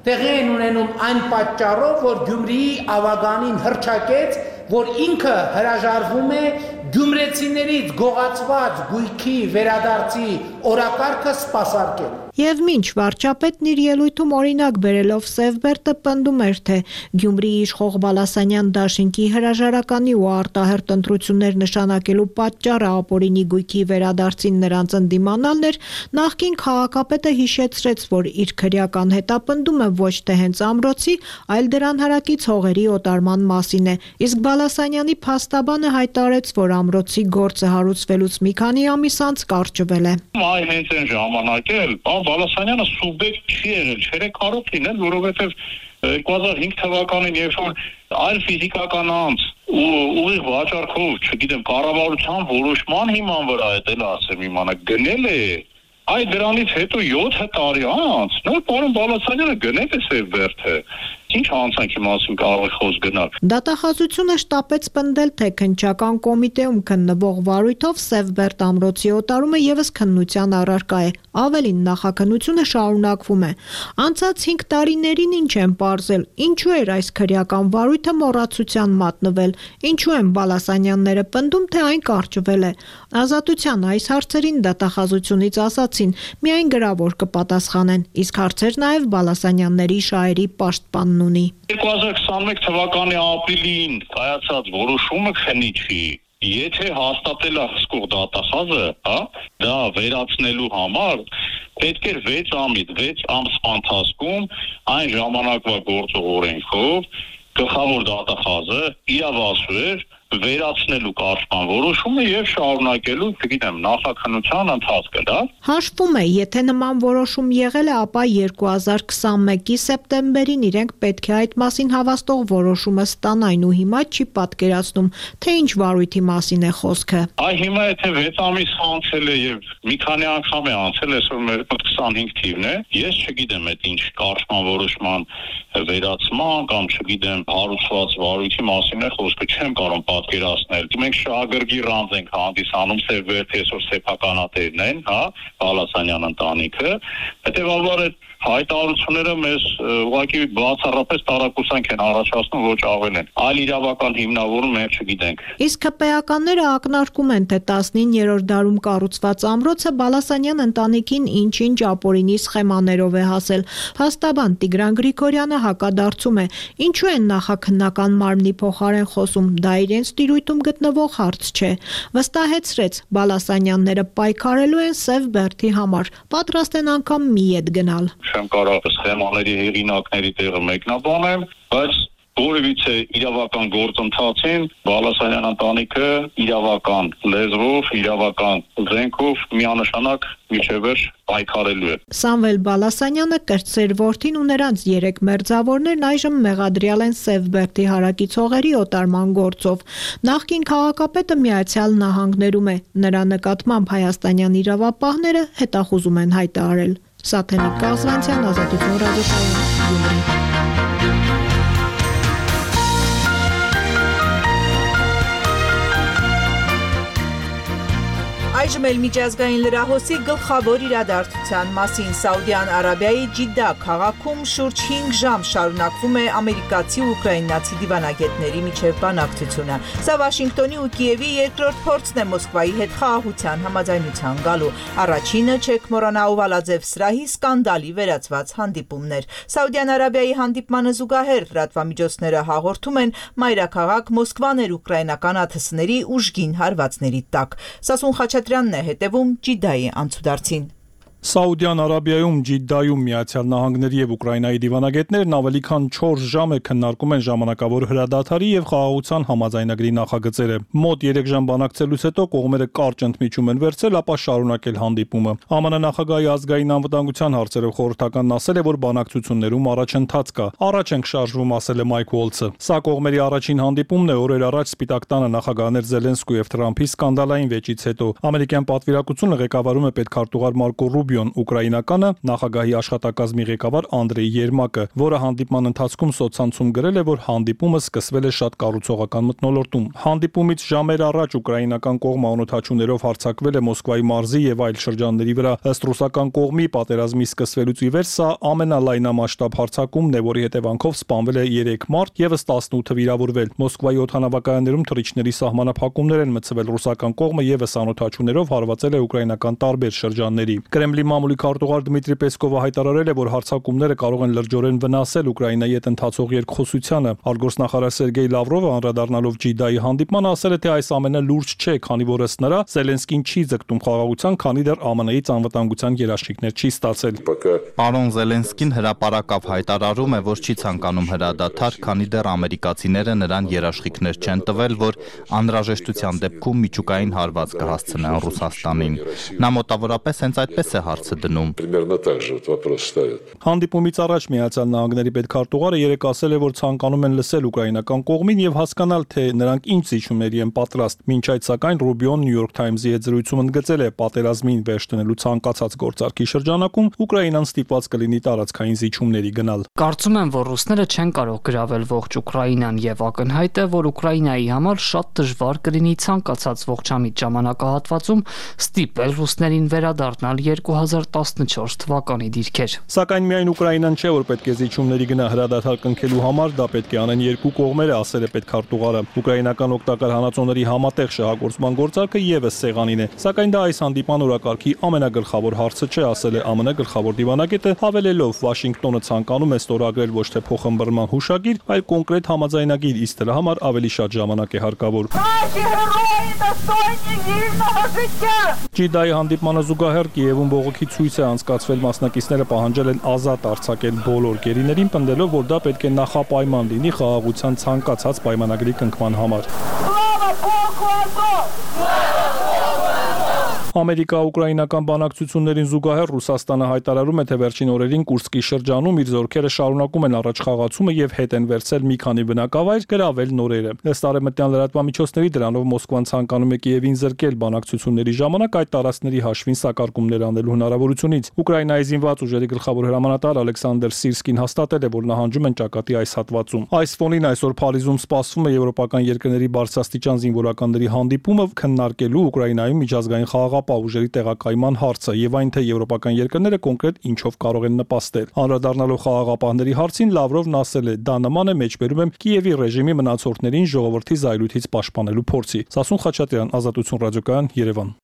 տեղի են ունենում այն պատճառով, որ Գյումրիի ավագանին հռչակեց, որ ինքը հրաժարվում է գյումրեցիներից գողացված գույքի վերադարձի օրակարգը սպասարկել։ Եվ մինչ վարչապետն իր ելույթում օրինակ բերելով Սևբերտը պնդում էր, թե Գյումրիի իշխող Բալասանյան դաշինքի հրաժարականի ու արտահերտ ընտրություններ նշանակելու պատճառը ապօրինի գույքի վերադարձին նրանց ընդդիմանալն էր, նախկին քաղաքապետը հիշեցրեց, որ իր քրեական հետապնդումը ոչ թե հենց ամրոցի, այլ դրան հարակից հողերի օտարման մասին է, իսկ Բալասանյանի փաստաբանը հայտարարեց, որ ամրոցի գործը հարուցվելուց մի քանի ամիս անց կարճվել է։ Այ հենց այն ժամանակ էլ Բալասանյանը սուբյեկտ չի եղել, չէր կարող լինել, որովհետև երկու հազար հինգ թվականին, երբ որ այլ ֆիզիկական անձ ու ուղիղ վաճառքով, չգիտեմ, կառավարության որոշման հիման վրա է դել ասեմ իմանը գնել է, այ դրանից հետո յոթ տարի անց, նոր պարոն Բալասանյանը գնել է Սևբերտը։ Ինչ հանցանքի մասին կարող է խոսք գնալ։ Դատախազությունը շտապեց պնդել, թե քննչական կոմիտեում քննվող վարույթով Սևբերտ ամրոցի օտարումը եւս քննության առարկա է։ Ավելին, նախաքննությունը շարունակվում է։ Անցած հինգ տարիներին ինչ են պարզել, ինչու էր այս քրեական վարույթը մոռացության մատնվել, ինչու են Բալասանյանները պնդում, թե այն կարճվել է։ Ազատության այս հարցերին դատախազությունից ասացին, միայն գրավոր կպատասխանեն, իսկ հարցեր նաև Բալասանյանների շահերի պաշտպանն ունի։ երկու հազար քսաներկու թվականի ապրիլին կայացած որոշումը քննիչի, եթե հաստատել է հսկող դատախազը, հա, դա վերացնելու համար պետք էր վեց ամիս, վեց ամս ընթացքում այն ժամանակվա գործող օրենքով գլխավոր դատախազը իրավասու էր վերացնելու կարծման որոշումը եւ շարունակելու, չգիտեմ, նախաքննության ընթացքը, դա։ Հաշվում է, եթե նման որոշում եղել է, ապա երկու հազար քսանմեկի սեպտեմբերին իրենք պետք է այդ մասին հավաստող որոշումը ստանային ու հիմա չի պատկերացնում, թե ինչ վարույթի մասին է խոսքը։ Այ հիմա եթե վեց ամիս անցել է եւ մի քանի անգամ է անցել, այսօր մեր քսանհինգ թիվն է, ես չգիտեմ այդ ինչ կարծման որոշման վերացման կամ չգիտեմ հարուցված վարույթի մասին է խոսքը, չեմ կարող պատկերացնել։ Մենք շահագրգի ռանձ ենք հանդիսանում Սևբերտի այսօր սեփականատերն են, հա, Բալասանյան ընտանիքը, հետեւաբար այդ հայտարարությունները մեզ ուղղակի բացառապես տարակուսանք են առաջացնում, ոչ ավել են։ Այլ իրավական հիմնավորում մենք չգիտենք։ Իսկ ՀՊԱ-ականները ակնարկում են, թե տասնիններորդ դարում կառուցված ամրոցը Բալասանյան ընտանիքին ինչ-ինչ ապօրինի սխեմաներով է հասել։ Փաստաբան Տիգրան Գրիգորյանը հակադարձում է, ինչու են նախաքննական մարմնի փոխարեն խոսում, դա իրենց տիրույթում գտնվող հարց չէ։ Վստահեցրեց, Բալասանյանները պայքարելու են Սևբերտի համար, պատրաստ են անգամ մի ետ գնալ։ Չեմ կարող սխեմաների հեղինակների տեղը մեկնաբանեմ, բայց որևիցե իրավական գործընթացին Բալասանյան ընտանիքը իրավական լեզվով, իրավական զենքով միանշանակ միջևեր պայքարելու է։ Սամվել Բալասանյանը, կրտսեր որդին ու նրանց երեք մերձավորներն այժմ մեղադրյալ են Սևբերտի հարակից հողերի օտարման գործով։ Նախկին քաղաքապետը Միացյալ Նահանգներում է, նրա նկատմամբ հայաստանյան իրավապահները հետախուզում են հայտարարել։ Սաթենիկ Կազվանցյան, Ազատություն ռադիոկայան, Գյումրի։ Այժմ էլ միջազգային լրահոսի գլխավոր իրադարձության մասին Սաուդյան Արաբիայի Ջիդդա քաղաքում շուրջ հինգ ժամ շարունակվում է ամերիկացի ու ուկրաինացի դիվանագետների միջև բանակցությունը։ Սա Վաշինգտոնի ու Կիևի երկրորդ փորձն է Մոսկվայի հետ խաղաղության համաձայնության գալու։ Առաջինը չեք մոռանա Օվալաձև սրահի սկանդալի վերացված հանդիպումներ։ Սաուդյան Արաբիայի հանդիպմանը զուգահեռ լրատվամիջոցները հաղորդում են մայրաքաղաք Մոսկվան էր ուկրաինական աթսների ուժգին հարվածների տակ։ Սասուն Խաչատրյանն է հետևում Ջիդդայի անցուդարձին։ Սաուդյան Արաբիայում Ջիդդայում Միացյալ Նահանգների եւ Ուկրաինայի դիվանագետներն ավելի քան չորս ժամ է քննարկում են ժամանակավոր հրադադարի եւ խաղաղության համաձայնագրի նախագծերը։ Մոտ երեք ժամ բանակցելուց հետո կողմերը կարճ ընդմիջում են վերցրել, ապա շարունակել հանդիպումը։ ԱՄՆ նախագահի ազգային անվտանգության հարցերով խորհրդականն ասել է, որ բանակցություններում առաջընթաց կա։ Առաջ ենք շարժվում, ասել է Մայք Ուոլցը։ Սա կողմերի առաջին հանդիպումն է օրեր առաջ Սպիտակ տանը նախագահներ Զելենսկու եւ Թրամփի սկանդալային վեճից հետո։ Ամերիկյան պատվիրակությունը ղեկավարում է պետքարտուղար Մարկո Ռուբիոն, ուկրաինականը նախագահի աշխատակազմի ղեկավար Անդրեյ Երմակը, որը հանդիպման ընթացքում սոցցանցում գրել է, որ հանդիպումը սկսվել է շատ կառուցողական մթնոլորտում։ Հանդիպումից ժամեր առաջ ուկրաինական կողմը անօթաչուներով հարձակվել է Մոսկվայի մարզի եւ այլ շրջանների վրա։ Ըստ ռուսական կողմի պատերազմի սկսվելուց ի վեր սա ամենալայնամասշտաբ հարձակումն է, որի հետևանքով սպանվել է երեք մարդ, եւս տասնութը վիրավորվել։ Մոսկվայի օդանավակայաններում թռիչքների սահմանափակումներ են մտցվել, ռուսական կողմը եւս անօթաչուներով հարվածել է ուկրաինական տարբեր շրջանների։ Կրեմլի մամուլի քարտուղար Դմիտրի Պեսկովը հայտարարել է, որ հարձակումները կարող են լրջորեն վնասել Ուկրաինայի հետ ընթացող երկխոսությանը։ Արտգործնախարար Սերգեյ Լավրովը անդրադառնալով Ջիդայի հանդիպմանը ասել է, թե այս ամենը լուրջ չէ, քանի որ ըստ նրա Զելենսկին չի ձգտում խաղաղության, քանի դեռ ԱՄՆ-ից անվտանգության երաշխիքներ չի ստացել։ Պարոն Զելենսկին հրապարակավ հայտարարում է, որ չի ցանկանում հրադադար, քանի դեռ ամերիկացիները նրան երաշխիքներ չեն տվել, որ անհրաժեշտության դեպքում միջուկային հարված կհասցնեն Ռուսաստանին։ Նա մոտավորապես հենց այդպես է հարցը դնում։ Հանդիպումից առաջ Միացյալ Նահանգների պետքարտուղարը երեկ ասել է, որ ցանկանում են լսել ուկրաինական կողմին եւ հասկանալ, թե նրանք ինչ զիջումների են պատրաստ։ Մինչ այդ սակայն Ռուբիոն Նյու Յորք Թայմզի հետ զրույցում ընդգծել է, պատերազմին վերջ դնելու ցանկացած գործարքի շրջանակում Ուկրաինան ստիպված կլինի տարածքային զիջումների գնալ։ Կարծում եմ, որ ռուսները չեն կարող գրավել ողջ Ուկրաինան եւ ակնհայտ է, որ Ուկրաինայի համար շատ դժվար կլինի ցանկացած ողջամիտ ժամանակահատվածում ստիպել ռուսներին վերադառնալ երկու հազար տասնչորս թվականի դիրքեր։ Սակայն միայն Ուկրաինան չէ, որ պետք է զիջումների գնա հրադադար կնքելու համար, դա պետք է անեն երկու կողմերը, ասել է պետքարտուղարը։ Ուկրաինական օգտակար հանածոների համատեղ շահագործման գործարքը եւս սեղանին է, սակայն դա այս հանդիպման օրակարգի ամենագլխավոր հարցը չէ, ասել է ԱՄՆ գլխավոր դիվանագետը, հավելելով Վաշինգտոնը ցանկանում է ստորագրել ոչ թե փոխըմբռնման հուշագիր, այլ կոնկրետ համաձայնագիր, իսկ դրա համար ավելի շատ ժամանակ է հարկավոր։ Ջիդայի հանդիպմանը զուգահեռ Կիևում բողոքի ցույց է անցկացվել, մասնակիցները պահանջել են ազատ արձակել բոլոր գերիներին, պնդելով, որ դա պետք է նախապայման լինի խաղաղության ցանկացած պայմանագրի կնքման համար։ Ամերիկա-ուկրաինական բանակցություններին զուգահեռ Ռուսաստանը հայտարարում է, թե վերջին օրերին Կուրսկի շրջանում իր զորքերը շարունակում են առաջխաղացումը եւ հետ են վերցել մի քանի բնակավայր, գրավել նորերը։ Ըստ արևմտյան լրատվամիջոցների դրանով Մոսկվան ցանկանում է Կիևին զրկել բանակցությունների ժամանակ այդ տարածքների հաշվին սակարկումներ անելու հնարավորությունից։ Ուկրաինայի զինված ուժերի գլխավոր հրամանատար Ալեքսանդր Սիրսկին հաստատել է, որ նահանջում են ճակատի այս հատվածում։ Այս ֆոնին այսօր Փարիզում սպասվում է եվրոպական երկրների բարձրաստիճան զինվորականների հանդիպումը քննարկելու Ուկրաինայում միջազգային խաղաղապահ ուժերի տեղակայման հարցը եւ այն, թե եվրոպական երկրները կոնկրետ ինչով կարող են նպաստել։ Անդրադառնալով խաղաղապահների հարցին Լավրովն ասել է, դա նման է մեջբերում եմ Կիևի ռեժիմի մնացորդներին ժողովրդի զայրույթից պաշտպանելու փորձի։ Սասուն Խաչատրյան, Ազատություն ռադիոկայան, Երևան։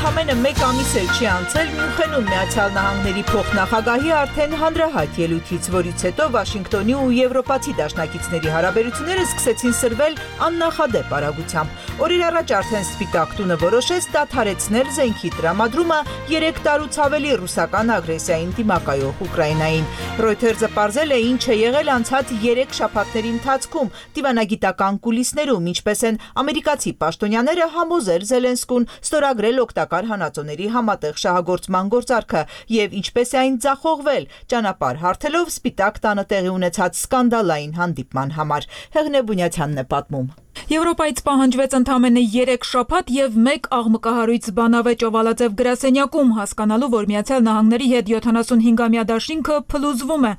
Ընդամենը մեկ ամիս էլ չի անցել Մյունխենում Միացյալ Նահանգների փոխնախագահի արդեն հանրահայտ ելույթից, որից հետո Վաշինգտոնի ու եվրոպացի դաշնակիցների հարաբերությունները սկսեցին սրվել աննախադեպ արագությամբ։ Օրեր առաջ արդեն Սպիտակ տունը որոշեց դադարեցնել զենքի տրամադրումը երեք տարուց ավելի ռուսական ագրեսիային դիմակայող Ուկրաինային։ Reuters-ը պարզել է ինչ է եղել անցած երեք շաբաթների ընթացքում դիվանագիտական կուլիսներում, ինչպես են ամերիկացի պաշտոնյաները համոզել Զելենսկուն ստորագրել օգտակար հանածոների համատեղ շահագործման գործարքը եւ ինչպես է այն ձախողվել, ճանապարհ հարթելով Սպիտակ տանը տեղի ունեցած սկանդալային հանդիպման համար։ Հեղինե Բունյացյանն է պատմում։ Եվրոպայից պահանջվեց ընդամենը երեք շաբաթ եւ մեկ աղմկահարույց բանավեճ Օվալաձև գրասենյակում, հասկանալու, որ Միացյալ Նահանգների հետ յոթանասունհինգամյա դաշինքը փլուզվում է։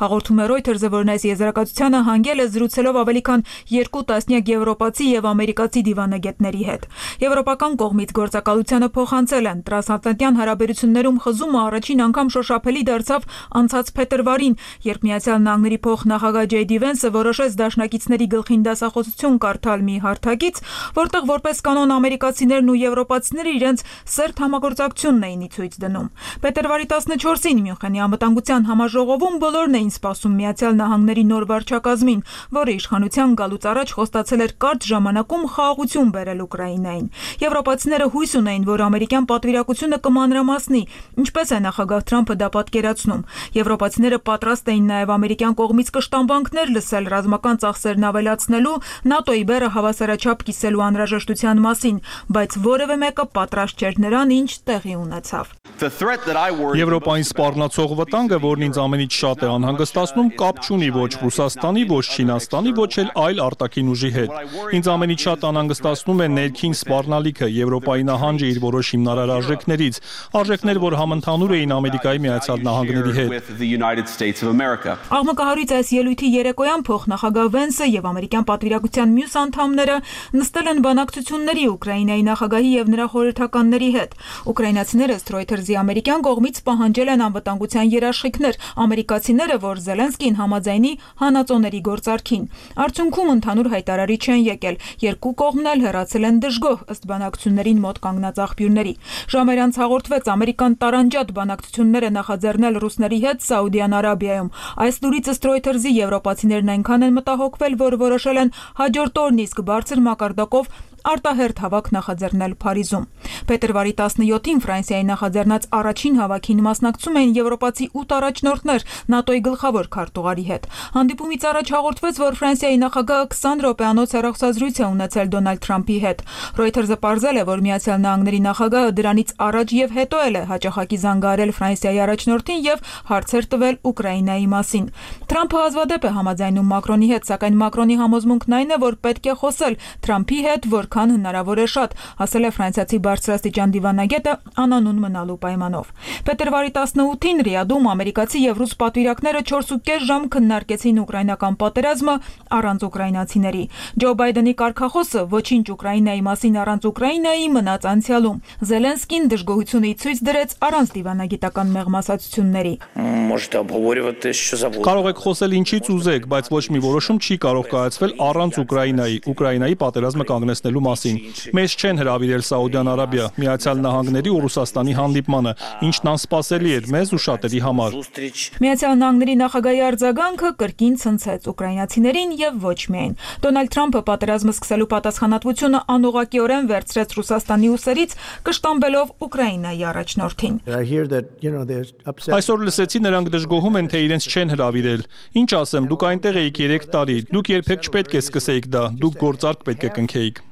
Հաղորդում է Reuters-ը, որն այս եզրակացությանը հանգել է զրուցելով ավելի քան երկու տասնյակ եվրոպացի եւ ամերիկացի դիվանագետների հետ։ Եվրոպական կողմից գործակալությանը փոխանցել են տրանսատլանտյան հարաբերություններում խզումը առաջին անգամ շոշափելի դարձավ անցած փետրվարին, երբ Միացյալ Նահանգների փոխնախագահ Ջեյ Դի Վենսը որոշեց դաշնակիցների գլխին դասախոսություն կարդալ կարդալ մի հարթակից, որտեղ որպես կանոն ամերիկացիներն ու եվրոպացիները իրենց սերտ համագործակցությունն էին ի ցույց դնում։ Փետրվարի տասնչորսին Մյունխենի անվտանգության համաժողովում բոլորն էին սպասում Միացյալ Նահանգների նոր վարչակազմին, որը իշխանության գալուց առաջ խոստացել էր կարճ ժամանակում խաղաղություն բերել Ուկրաինային։ Եվրոպացիները հույս ունեին, որ ամերիկյան պատվիրակությունը կմանրամասնի, ինչպես է նախագահ Թրամփը դա պատկերացնում։ Եվրոպացիները պատրաստ էին նաև ամերիկյան կողմից կշտամբանքներ լսել ռազմական ծախսերն ավելացնելու, ՆԱՏՕ-ի բեռը հավասարաչափ կիսելու անհրաժեշտության մասին, բայց որևէ մեկը պատրաստ չէր նրան, ինչ տեղի ունեցավ։ Եվրոպային սպառնացող վտանգը, որն ինձ ամենից շատ է անհանգստացնում, կապ չունի ոչ Ռուսաստանի, ոչ Չինաստանի, ոչ էլ այլ արտաքին ուժի հետ։ Ինձ ամենից շատ անհանգստացնում է ներքին սպառնալիքը, Եվրոպայի նահանջը իր որոշ հիմնարար արժեքներից, արժեքներ, որ համընդհանուր էին Ամերիկայի Միացյալ Նահանգների հետ։ Աղմկահարույց այս ելույթի երեկոյան փոխնախագահ Վենսը եւ ամերիկյան պատվիրակության մյուս անդամները նստել են բանակցությունների Ուկրաինայի նախագահի եւ նրա խորհրդականների հետ։ Ուկրաինացիները Reuters-ի ամերիկյան կողմից պահանջել են անվտանգության երաշխիքներ, ամերիկացիները, որ Զելենսկին համաձայնի հանածոների գործարքին։ Արդյունքում ընդհանուր հայտարարի չեն եկել, երկու կողմն էլ հեռացել են դժգոհ, ըստ բանակցություններին մոտ կանգնած աղբյուրների։ Ժամեր անց հաղորդվեց ամերիկան տարանջատ բանակցություններ է նախաձեռնել ռուսների հետ Սաուդյան Արաբիայում։ Այս լուրից ըստ Reuters-ի եվրոպացիներն այնքան են մտահոգվել, որ որոշել են հաջորդ օրն իսկ բարձր մակարդակով արտահերթ հավաք նախաձեռնել Փարիզում։ Փետրվարի տասնյոթին Ֆրանսիայի նախաձեռնած առաջին հավաքին մասնակցում էին եվրոպացի ութ առաջնորդներ ՆԱՏՕ-ի գլխավոր քարտուղարի հետ։ Հանդիպումից առաջ հաղորդվեց, որ Ֆրանսիայի նախագահը քսան րոպեանոց հեռախոսազրույց է ունեցել Դոնալդ Թրամփի հետ։ Reuters-ը պարզել է, որ Միացյալ Նահանգների նախագահը դրանից առաջ եւ հետո էլ է հաճախակի զանգահարել Ֆրանսիայի առաջնորդին եւ հարցեր տվել Ուկրաինայի մասին։ Թրամփը հազվադեպ է համաձայնում Մակրոնի հետ, սակայն Մակրոնի համոզմունքն այն է, որ պետք է խոսել Թրամփի հետ, որ քան հնարավոր է շատ, ասել է ֆրանսիացի բարձրաստիճան դիվանագետը անանուն մնալու պայմանով։ Փետրվարի տասնութին Ռիադում ամերիկացի եւ ռուս պատվիրակները չորսուկես ժամ քննարկեցին ուկրաինական պատերազմը առանց ուկրաինացիների։ Ջո Բայդենի կարգախոսը ոչինչ Ուկրաինայի մասին առանց Ուկրաինայի մնաց անցյալում։ Զելենսկին դժգոհությունը ի ցույց դրեց առանց դիվանագիտական մեղմասացությունների։ Կարող եք խոսել ինչից ուզեք, բայց ոչ մի որոշում չի կարող կայացվել առանց Ուկրաինայի, Ուկրաինայի պատերազմը կանգնեցնելու մասին։ Մեզ չեն հրավիրել Սաուդյան Արաբիա, Միացյալ Նահանգների ու Ռուսաստանի հանդիպմանը, ինչն անսպասելի էր մեզ ու շատերի համար։ Միացյալ Նահանգների նախագահի արձագանքը կրկին ցնցեց ուկրաինացիներին եւ ոչ միայն։ Դոնալդ Թրամփը պատերազմը սկսելու պատասխանատվությունը անուղղակիորեն վերցրեց Ռուսաստանի ուսերից, կշտամբելով Ուկրաինայի առաջնորդին։ Այսօր լսեցի, նրանք դժգոհում են, թե իրենց չեն հրավիրել։ Ինչ ասեմ, դուք այնտեղ էիք երեք տարի, դուք երբեք չպետք է սկսեիք դա, դուք գործարք պետք է կնքեիք։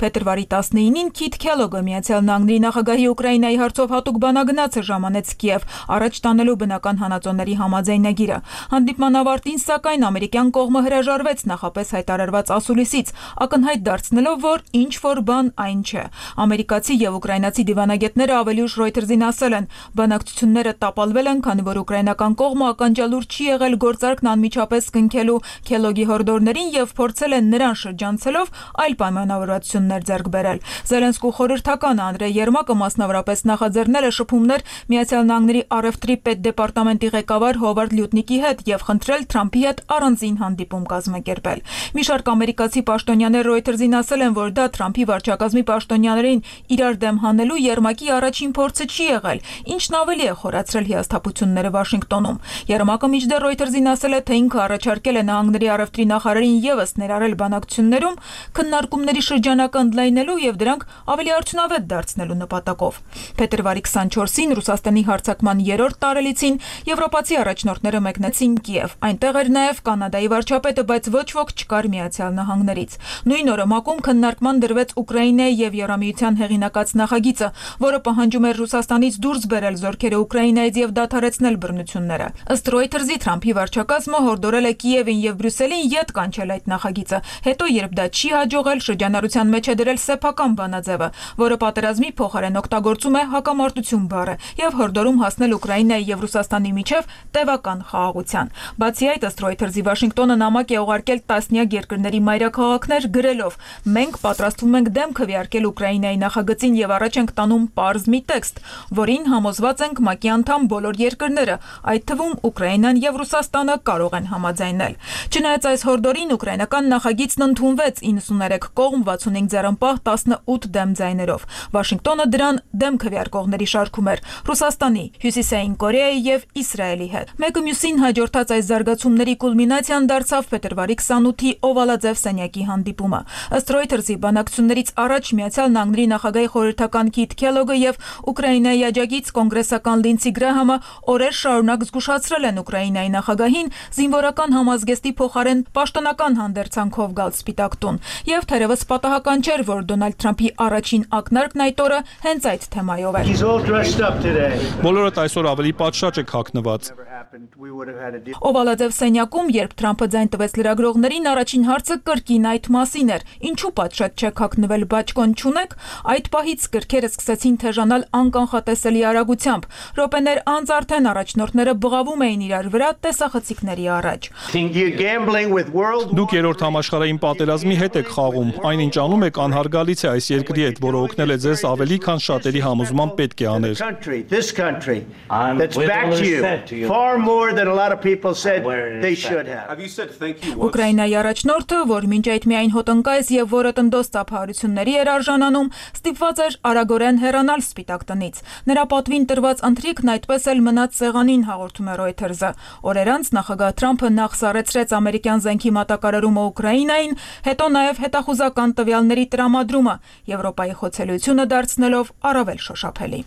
Փետրվարի տասնինին Քիթ Քելոգը Միացյալ Նահանգների նախագահի Ուկրաինայի հարցով հատուկ բանագնացը ժամանեց Կիև, առաջ տանելու բնական հանածոների համաձայնագիրը։ Հանդիպման ավարտին, սակայն, ամերիկյան կողմը հրաժարվեց նախապես հայտարարված ասուլիսից, ակնհայտ դարձնելով, որ ինչ որ բան այն չէ։ Ամերիկացի եւ ուկրաինացի դիվանագետները ավելի ուշ Reuters-ին ասել են, բանակցությունները տապալվել են, քանի որ ուկրաինական կողմը ականջալուր չի եղել գործարքն անմիջապես կնքելու Քելոգի հորդորներին եւ փորձել են նրան շրջանցելով այլ պայմանավորվածություններ ձեռք բերել։ Զելենսկու խորհրդականը Անդրեյ Երմակը մասնավորապես նախաձեռնել է շփումներ Միացյալ Նահանգների առևտրի պետդեպարտամենտի ղեկավար Հովարդ Լյուտնիկի հետ եւ խնդրել Թրամփի հետ առանձին հանդիպում կազմակերպել։ Մի շարք ամերիկացի պաշտոնյաներ Reuters-ին ասել են, որ դա Թրամփի վարչակազմի պաշտոնյաներին իրար դեմ հանելու Երմակի առաջին փորձը չի եղել, ինչն ավելի է խորացրել հիասթափությունները Վաշինգտոնում։ Երմակը մինչդեռ Reuters-ին ասել է, թե ինքը առաջարկել է Նահանգների առևտրի նախարարին եւս ներառել բանակցություններում քննարկումների շրջանակը ընդլայնելու եւ դրանք ավելի արդյունավետ դարձնելու նպատակով։ Փետրվարի քսանչորսին Ռուսաստանի հարձակման երրորդ տարելիցին եվրոպացի առաջնորդները մեկնեցին Կիև։ Այնտեղ էր նաեւ Կանադայի վարչապետը, բայց ոչ ոք չկար Միացյալ Նահանգներից։ Նույն օրը ՄԱԿ-ում քննարկման դրվեց Ուկրաինայի եւ Եվրամիության հեղինակած նախագիծը, որը պահանջում էր Ռուսաստանից դուրս բերել զորքերը Ուկրաինայից եւ դադարեցնել բռնությունները։ Ըստ Reuters-ի Թրամփի վարչակազմը հորդորել է Կիևին եւ Բրյուսելին ետ կանչել այդ նախագիծը։ Հետո, երբ դա չի հաջողվել, ուղղել շրջանառության մեջ է դրել սեփական բանաձևը, որը պատերազմի փոխարեն օգտագործում է հակամարտություն բառը եւ հորդորում հասնել Ուկրաինայի եւ Ռուսաստանի միջև տևական խաղաղության։ Բացի այդ, ըստ Reuters-ի Վաշինգտոնը նամակ է ուղարկել տասնյակ երկրների մայրաքաղաքներ գրելով. «Մենք պատրաստվում ենք դեմ քվեարկել Ուկրաինայի նախագծին եւ առաջ ենք տանում պարզ մի տեքստ, որին համոզված ենք ՄԱԿ-ի անդամ բոլոր երկրները, այդ թվում Ուկրաինան եւ Ռուսաստանը կարող են համաձայնել»։ Չնայած այս հորդորին, ուկրաինական նախագիծն ընդունվեց իննսուներեք կողմ վաթսունհինգ ձեռնպահ տասնութ դեմ ձայներով։ Վաշինգտոնը դրան դեմ քվեարկողների շարքում էր Ռուսաստանի, Հյուսիսային Կորեայի եւ Իսրայելի հետ։ Մեկը մյուսին հաջորդած այս զարգացումների կուլմինացիան դարձավ փետրվարի քսանութի օվալաձև սենյակի հանդիպումը։ Ըստ Reuters-ի բանակցություններից առաջ Միացյալ Նահանգների նախագահի խորհրդական Քիթ Քելոգը եւ Ուկրաինայի աջակից կոնգրեսական Լինսի Գրահամը օրեր շարունակ զգուշացրել են Ուկրաինայի նախագահին զինվորական համազգեստի փոխարեն պաշտոնական հանդերձանքով գալ Սպիտակ տուն։ Եվ թերևս պատահական չէր, որ Դոնալդ Թրամփի առաջին ակնարկն այդ օրը հենց այդ թեմայով էր։ Բոլորդ այսօր ավելի պատշաճ եք հագնված։ Օվալաձև սենյակում, երբ Թրամփը ձայն տվեց լրագրողներին, առաջին հարցը կրկին այդ մասին էր. ինչու պատշաճ չեք հագնվել, բաճկոն չունեք։ Այդ պահից կրքերը սկսեցին թեժանալ անկանխատեսելի արագությամբ։ Րոպեներ անց արդեն առաջնորդները բղավում էին իրար վրա տեսախցիկների առաջ։ Դուք երրորդ համաշխարհային պատերազմի հետ եք խաղում։ Այնինչ անում եք անհարգալից է այս երկրի հետ, որը օգնել է ձեզ ավելի, քան շատերի համոզման պետք է աներ։ Ուկրաինայի առաջնորդը, որ մինչ այդ միայն հոտնկայս եւ որը տնդոս ծափահարությունների էր արժանանում, ստիպված էր արագորեն հեռանալ Սպիտակ տնից։ Նրա պատվին տրված ընթրիքն այդպես էլ մնաց սեղանին, հաղորդում է Reuters-ը։ Օրեր անց նախագահ Թրամփը նախ սառեցրեց ամերիկյան զենքի մատակարարումը Ուկրաինային, հետո նաև հետախուզական տվյալների տրամադրումը, Եվրոպայի խոցելիությունը դարձնելով առավել շոշափելի։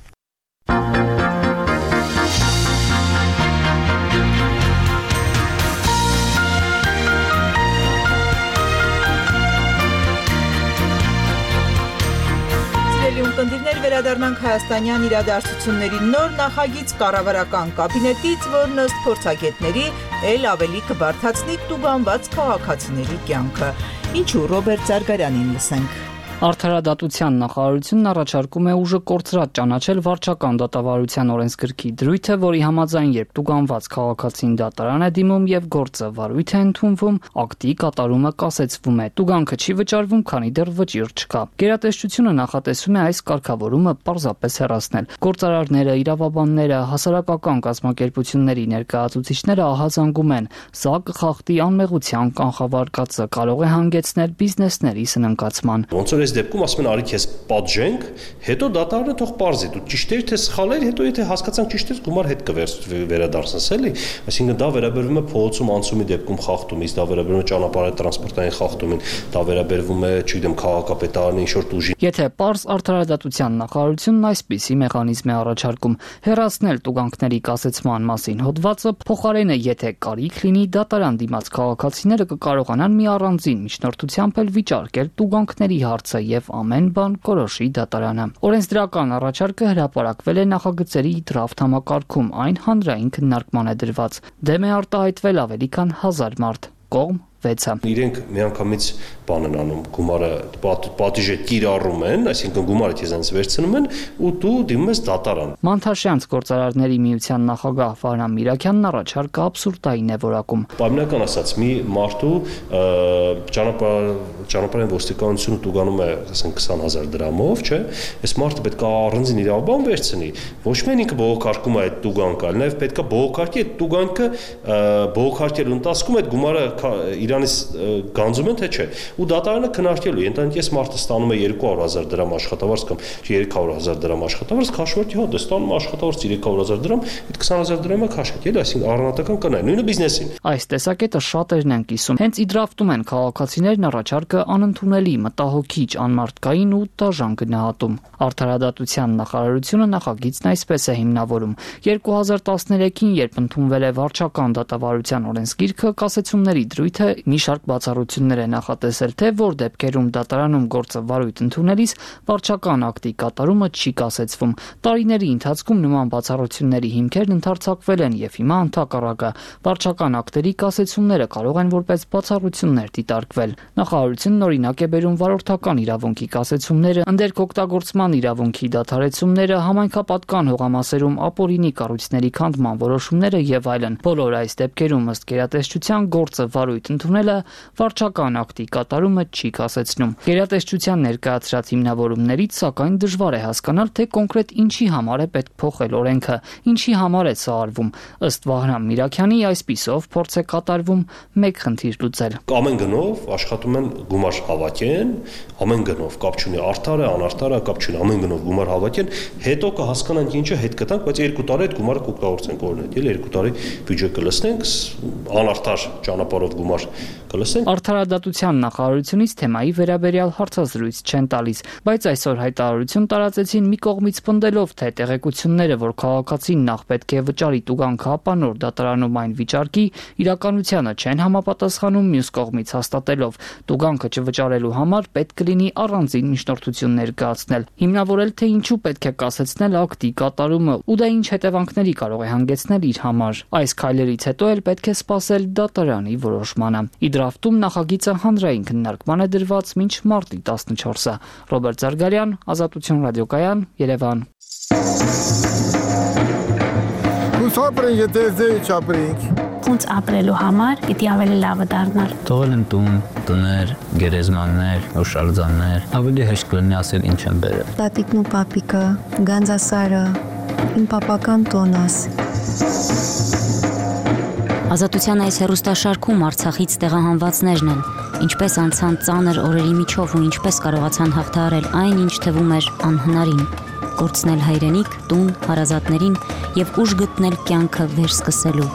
Ունկնդիրներ վերադառնանք հայաստանյան իրադարձությունների նոր նախագիծ կառավարական կաբինետից, որն ըստ փորձագետների էլ ավելի կբարդացնի տուգանված քաղաքացիների կյանքը։ Ինչու Ռոբերտ Զարգարյանին լսենք։ Արդարադատության նախարարությունն առաջարկում է ուժը կորցրած ճանաչել վարչական դատավարության օրենսգրքի դրույթը, որի համաձայն երբ տուգանված քաղաքացին դատարան է դիմում եւ գործը վարույթ է ընդունվում, ակտի կատարումը կասեցվում է։ Տուգանքը չի վճարվում, քանի դեռ վճիռ չկա։ Գերատեսչությունը նախատեսում է այս կարգավորումը պարզապես հեռացնել։ Գործարարները, իրավաբանները, հասարակական կազմակերպությունների ներկայացուցիչները ահազանգում են, սա կխախտի անմեղության կանխավարկածը, կարող է հանգեցնել բիզնեսների սնանկացման։ Ոնց որ այս դեպքում ասում են արի քեզ պատժենք, հետո դատարանը թող պարզի, դու ճիշտ ես թե սխալ ես, հետո եթե հասկացանք ճիշտ ես, գումար հետ կվերադարձնես, էլի։ Այսինքն դա վերաբերվում է փողոցում անցումի դեպքում խախտումից, դա վերաբերվում է ճանապարհի տրանսպորտային խախտումին, դա վերաբերվում է, չգիտեմ, քաղաքապետարանի ինչ-որ ուժի։ Եթե պարզ արդարադատության նախարարությունն այսպիսի մեխանիզմ է առաջարկում, հեռացնել տուգանքների կասեցման մասին հոդվածը, փոխարենը եթե կարիք լինի, դատարան դիմաց քաղաքացիները կկարողանան մի առանձին միջնորդությամբ էլ վիճարկել տուգանքների հարցը եւ ամեն բան կորոշի դատարանը։ Օրենսդրական առաջարկը հրապարակվել է նախագծերի դրաֆտ համակարգում, այն հանրային քննարկման է դրված։ Դեմ է արտահայտվել ավելի քան հազար մարդ։ Կողմ վեցը։ Իրենք միանգամից բան են անում, գումարը պատիժը կիրառում են, այսինքն գումարը քեզանից վերցնում են ու դու դիմում ես դատարան։ Մանթաշյանց գործարարների միության նախագահ Վարան Միրաքյանն առաջարկը աբսուրդային է որակում։ Պայմանական ասած, մի մարդու ճանապարհ ճանապարհային ոստիկանությունը տուգանում է, ասենք քսան հազար դրամով, չէ՞։ Այս մարդը պետք է առանձին իրավաբան վերցնի։ Ոչ միայն ինքը բողոքարկում է այդ տուգանքը, այլ նաև պետք է բողոքարկի այդ տուգանքը բողոքարկելու ընթացքում այդ գումարը Իրանից գանձում են թե չէ։ Ու դատարանը քննարկելու, ենթադրենք ես մարդը ստանում է երկու հարյուր հազար դրամ աշխատավարձ կամ երեք հարյուր հազար դրամ աշխատավարձ, քաշվարկի հա դե ստանում աշխատավարձ երեք հարյուր հազար դրամ, այդ քսան հազար դրամը քաշվարկի, էլի, այսինքն առանձնական կնայ, նույնը բիզնեսին։ Այս տեսակետը շատերն են կիսում։ Հենց իդրաֆտում են քաղաքացիներն առաջարկը անընդունելի, մտահոգիչ, անմարդկային ու դաժան գնահատում։ Արդարադատության նախարարությունը նախագիծն այսպես է հիմնավորում. երկու հազար տասներեքին, երբ ընդունվել է վարչական դատավարության օրենսգիրքը, կասեցումների դրույթը Մի շարք բացառություններ է նախատեսել, թե որ դեպքերում դատարանում գործը վարույթ ընդունելիս վարչական ակտի կատարումը չի կասեցվում։ Տարիների ընթացքում նման բացառությունների հիմքերն ընդարձակվել են եւ հիմա ընդհակառակը վարչական ակտերի կասեցումները կարող են որպես բացառություններ դիտարկվել։ Նախարարությունն օրինակ է բերում վարորդական իրավունքի կասեցումները, ընդերքօգտագործման իրավունքի դադարեցումները, համայնքապատկան հողամասերում ապօրինի կառույցների քանդման որոշումները եւ այլն։ Բոլոր այս դեպքերում ըստ գերատեսչության գործը վարույթ ընդունելը վարչական ակտի կատարումը չի կասեցնում։ Գերատեսչության ներկայացրած հիմնավորումներից սակայն դժվար է հասկանալ, թե կոնկրետ ինչի համար է պետք փոխել օրենքը, ինչի համար է սա արվում։ Ըստ Վահրամ Միրաքյանի այսպիսով փորձ է կատարվում մեկ խնդիր լուծել։ Ամեն գնով աշխատում են գումար հավաքեն, ամեն գնով կապ չունի արդար է, անարդար է, կապ չունի, ամեն գնով գումար հավաքեն, հետո կհասկանանք ինչը հետ կտանք, բայց երկու տարի այդ գումարը կօգտագործենք օրինակ, էլի երկու տարի բյուջե կլցնենք, անարդար ճանապարհով գումար կլցնենք։ Արդարադատության նախարարությունից թեմայի վերաբերյալ հարցազրույց չեն տալիս, բայց այսօր հայտարարություն տարածեցին մի կողմից պնդելով, թե տեղեկությունները, որ քաղաքացին նախ պետք է վճարի տուգանքը ապանոր դատարանում այն վիճարկի, իրականությանը չեն համապատասխանում, մյուս կողմից հաստատելով տուգանքը չվճարելու համար պետք կլինի առանձին միջնորդություն ներկայացնել, հիմնավորել, թե ինչու պետք է կասեցնել ակտի կատարումը ու դա ինչ հետևանքների կարող է հանգեցնել իր համար։ Այս քայլերից հետո էլ պետք է սպասել դատարանի որոշմանը։ Իդրաֆտում նախագիծը հանրային քննարկման է դրված մինչ մարտի տասնչորսը։ Ռոբերտ Զարգարյան, Ազատություն ռադիոկայան, Երևան։ Հուսապրենք, եթե ձեի չապրենք։ Ոնց ապրելու համար պիտի ավելի լավը դառնալ։ Թողել են տուն, տներ, գերեզմաններ, հուշարձաններ, ավելի հեշտ կլինի ասել ինչ են բերել։ Տատիկն ու պապիկը, Գանձասարը, իմ պապական տոնս։ Ազատության այս հեռուստաշարքում Արցախից տեղահանվածներն են, ինչպես անցան ծանր օրերի միջով ու ինչպես կարողացան հաղթահարել այն, ինչ թվում էր անհնարին։ Կորցնել հայրենիք, տուն, հարազատներին եւ ուժ գտնել կյանքը վերսկսելու։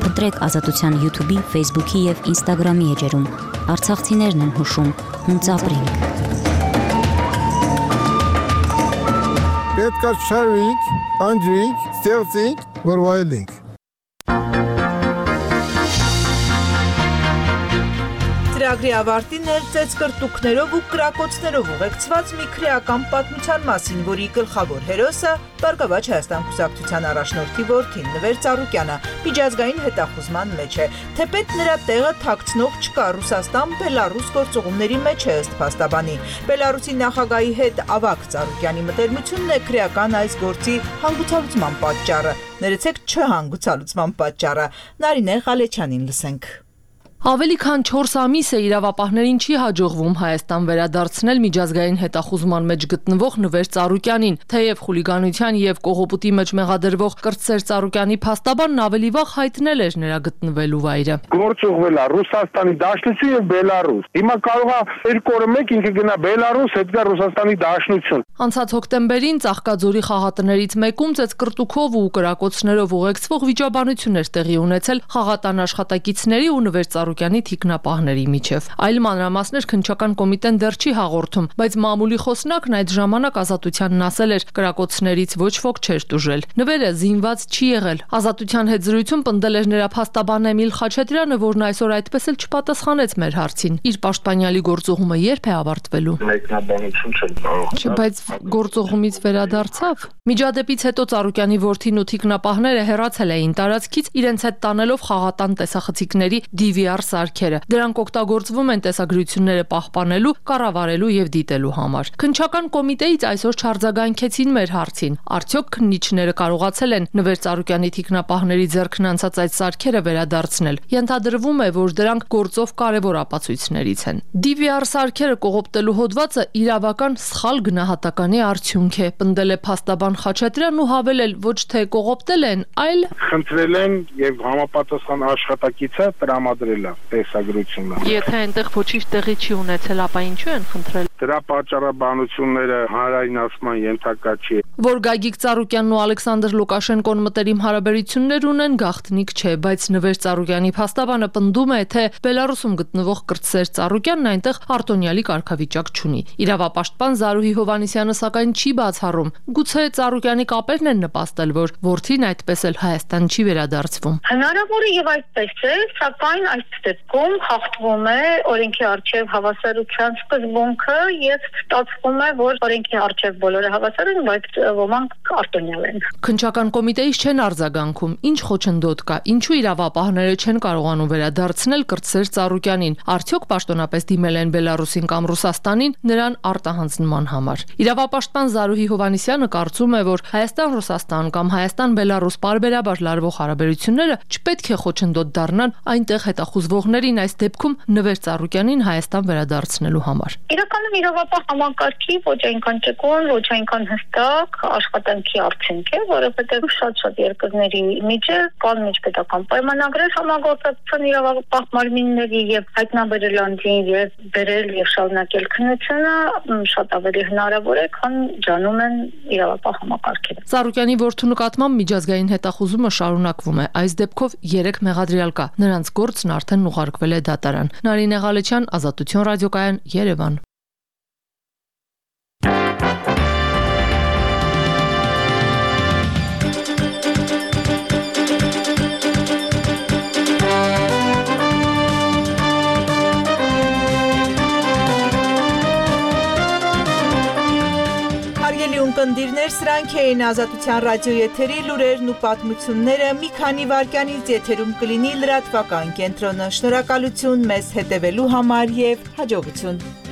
Փնտրեք Ազատության YouTube-ի, Facebook-ի եւ Instagram-ի էջերում։ Արցախցիներն են հուշում, հունց ապրենք։ Պետք է շարվենք, անջրենք, ստեղծենք, որ վայելենք։ Ծրագրի ավարտին ներծեց կրտուկներով ու կրակոցներով ուղեկցված մի քրեական պատմության մասին, որի գլխավոր հերոսը Բարգավաճ Հայաստան կուսակցության առաջնորդի որդին Նվեր Ծառուկյանը միջազգային հետախուզման մեջ է, թեպետ նրա տեղը թաքցնող չկա, Ռուսաստան-Բելարուս գործողումների մեջ է ըստ փաստաբանի։ Բելարուսի նախագահի հետ ավագ Ծառուկյանի մտերմությունն է քրեական այս գործի հանգուցալուծման պատճառը։ Ներեցեք չհանգուցալուծման պատճառը։ Նարինե Ղալեչյանին լսենք։ Ավելի քան չորս ամիս է իրավապահներին չի հաջողվում Հայաստան վերադարձնել միջազգային հետախուզման մեջ գտնվող Նվեր Ծառուկյանին, թեև խուլիգանության եւ կողոպուտի մեջ մեղադրվող Կրտսեր Ծառուկյանի փաստաբանն ավելի վաղ հայտնել էր նրա գտնվելու վայրը։ Գործ ուղղվել է Ռուսաստանի Դաշնություն եւ Բելարուս։ Հիմա կարող է երկու օրը մեկ ինքը գնա Բելարուս, հետ գա Ռուսաստանի Դաշնություն։ Անցած հոկտեմբերին Ծաղկաձորի խաղատներից մեկում ծեծկրտուքով ու կրակոցներով ուղեկցվող վիճաբանություն էր տեղի ունեցել խաղատան աշխատակիցների ու Նվեր Ծառուկյանի թիկնապահների միջև։ Այլ մանրամասներ քննչական կոմիտեն դեռ չի հաղորդում, բայց մամուլի խոսնակն այդ ժամանակ Ազատությանն ասել էր, կրակոցներից ոչ ոք չէր տուժել։ Նվերը զինված չի եղել։ Ազատության հետ զրույցում պնդել էր նրա փաստաբան Էմիլ Խաչատրյանը, որն այսօր այդպես էլ չպատասխանեց մեր հարցին։ Իր պաշտպանյալի գործողումը երբ է ավարտվելու։ Մեկնաբանություն չեմ կարող։ Չէ, բայց գործողումից վերադարձավ։ Միջադեպից հետո Ծառուկյանի որդին ու թիկնապահները հեռացել էին տարածքից, իրենց հետ տանելով խաղատան տեսախցիկների դի վի ಆರ್ սարքերը։ Դրանք օգտագործվում են տեսագրությունները պահպանելու, կառավարելու եւ դիտելու համար։ Քննչական կոմիտեից այսօր չարձագանքեցին մեր հարցին։ Արդյոք քննիչները կարողացել են Նվեր Ծառուկյանի թիկնապահների ձեռքն անցած այդ սարքերը վերադարձնել։ Ենթադրվում է, որ դրանք գործով կարևոր ապացույցներից են։ դի վի ಆರ್ սարքերը կողոպտելու հոդվածը իրավական սխալ գնահատականի արդյունք է, պնդել է փաստաբան Խաչատրյանն ու հավելել, ոչ թե կողոպտել են, այլ խնդրել են եւ համապատասխան աշխատակիցը տրամադրել է տեսագրությունը։ Եթե այնտեղ ոչինչ տեղի չի ունեցել, ապա ինչու են խնդրել։ դրա պատճառաբանությունները հանրայնացման ենթակա չի։ Որ Գագիկ Ծառուկյանն ու Ալեքսանդր Լուկաշենկոն մտերիմ հարաբերություններ ունեն, գաղտնիք չէ, բայց Նվեր Ծառուկյանի փաստաբանը պնդում է, թե Բելարուսում գտնվող Կրտսեր Ծառուկյանն այնտեղ արտոնյալի կարգավիճակ չունի։ Իրավապաշտպան Զարուհի Հովհաննիսյանը սակայն չի բացառում, գուցե Ծառուկյանի կապերն են նպաստել, որ որդին այդպես էլ Հայաստան չի վերադարձվում։ Հնարավոր է եւ այդպես է, սակայն այս դեպքում հաղթվում է օրենքի առջև հավասարության սկզբունքը եւ ստացվում է, որ օրենքի առջև բոլորը հավասար են, բայց ոմանք արտոնյալ են։ Քննչական կոմիտեից չեն արձագանքում, ինչ խոչընդոտ կա, ինչու իրավապահները չեն կարողանում վերադարձնել Կրտսեր Ծառուկյանին, արդյոք պաշտոնապես դիմել են Բելարուսին կամ Ռուսաստանին նրան արտահանձնման համար։ Իրավապաշտպան Զարուհի Հովհաննիսյանը կարծում է, որ Հայաստան-Ռուսաստան կամ Հայաստան-Բելարուս պարբերաբար լարվող հարաբերությունները չպետք է խոչընդոտ դառնան այնտեղ հետախուզվողներին, այս դեպքում Նվեր Ծառուկյանին Հայաստան վերադարձնելու համար։ Իրականում իրավապահ համակարգի ոչ այնքան ճկուն, ոչ այնքան հստակ աշխատանքի արդյունք է, որովհետև շատ-շատ երկրների միջև կան միջպետական պայմանագրեր համագործակցության իրավապահ մարմինների եւ հայտնաբերել անձին եւ բերել եւ շարունակել քննությունը շատ ավելի հնարավոր է, քան ջանում են իրավապահ համակարգերը։ Ծառուկյանի որդու նկատմամբ միջազգային հետախուզումը շարունակվում է։ Այս դեպքով երեք մեղադրյալ կա։ Նրանց գործն արդեն ուղարկվել է դատարան։ Նարինե Ղալեչյան, Ազատություն ռադիոկայան, Երևան։ Ունկնդիրներ, սրանք էին Ազատության ռադիոյի եթերի լուրերն ու պատմությունները, մի քանի վայրկյանից եթերում կլինի լրատվական կենտրոնը։ Շնորհակալություն մեզ հետևելու համար եւ հաջողություն։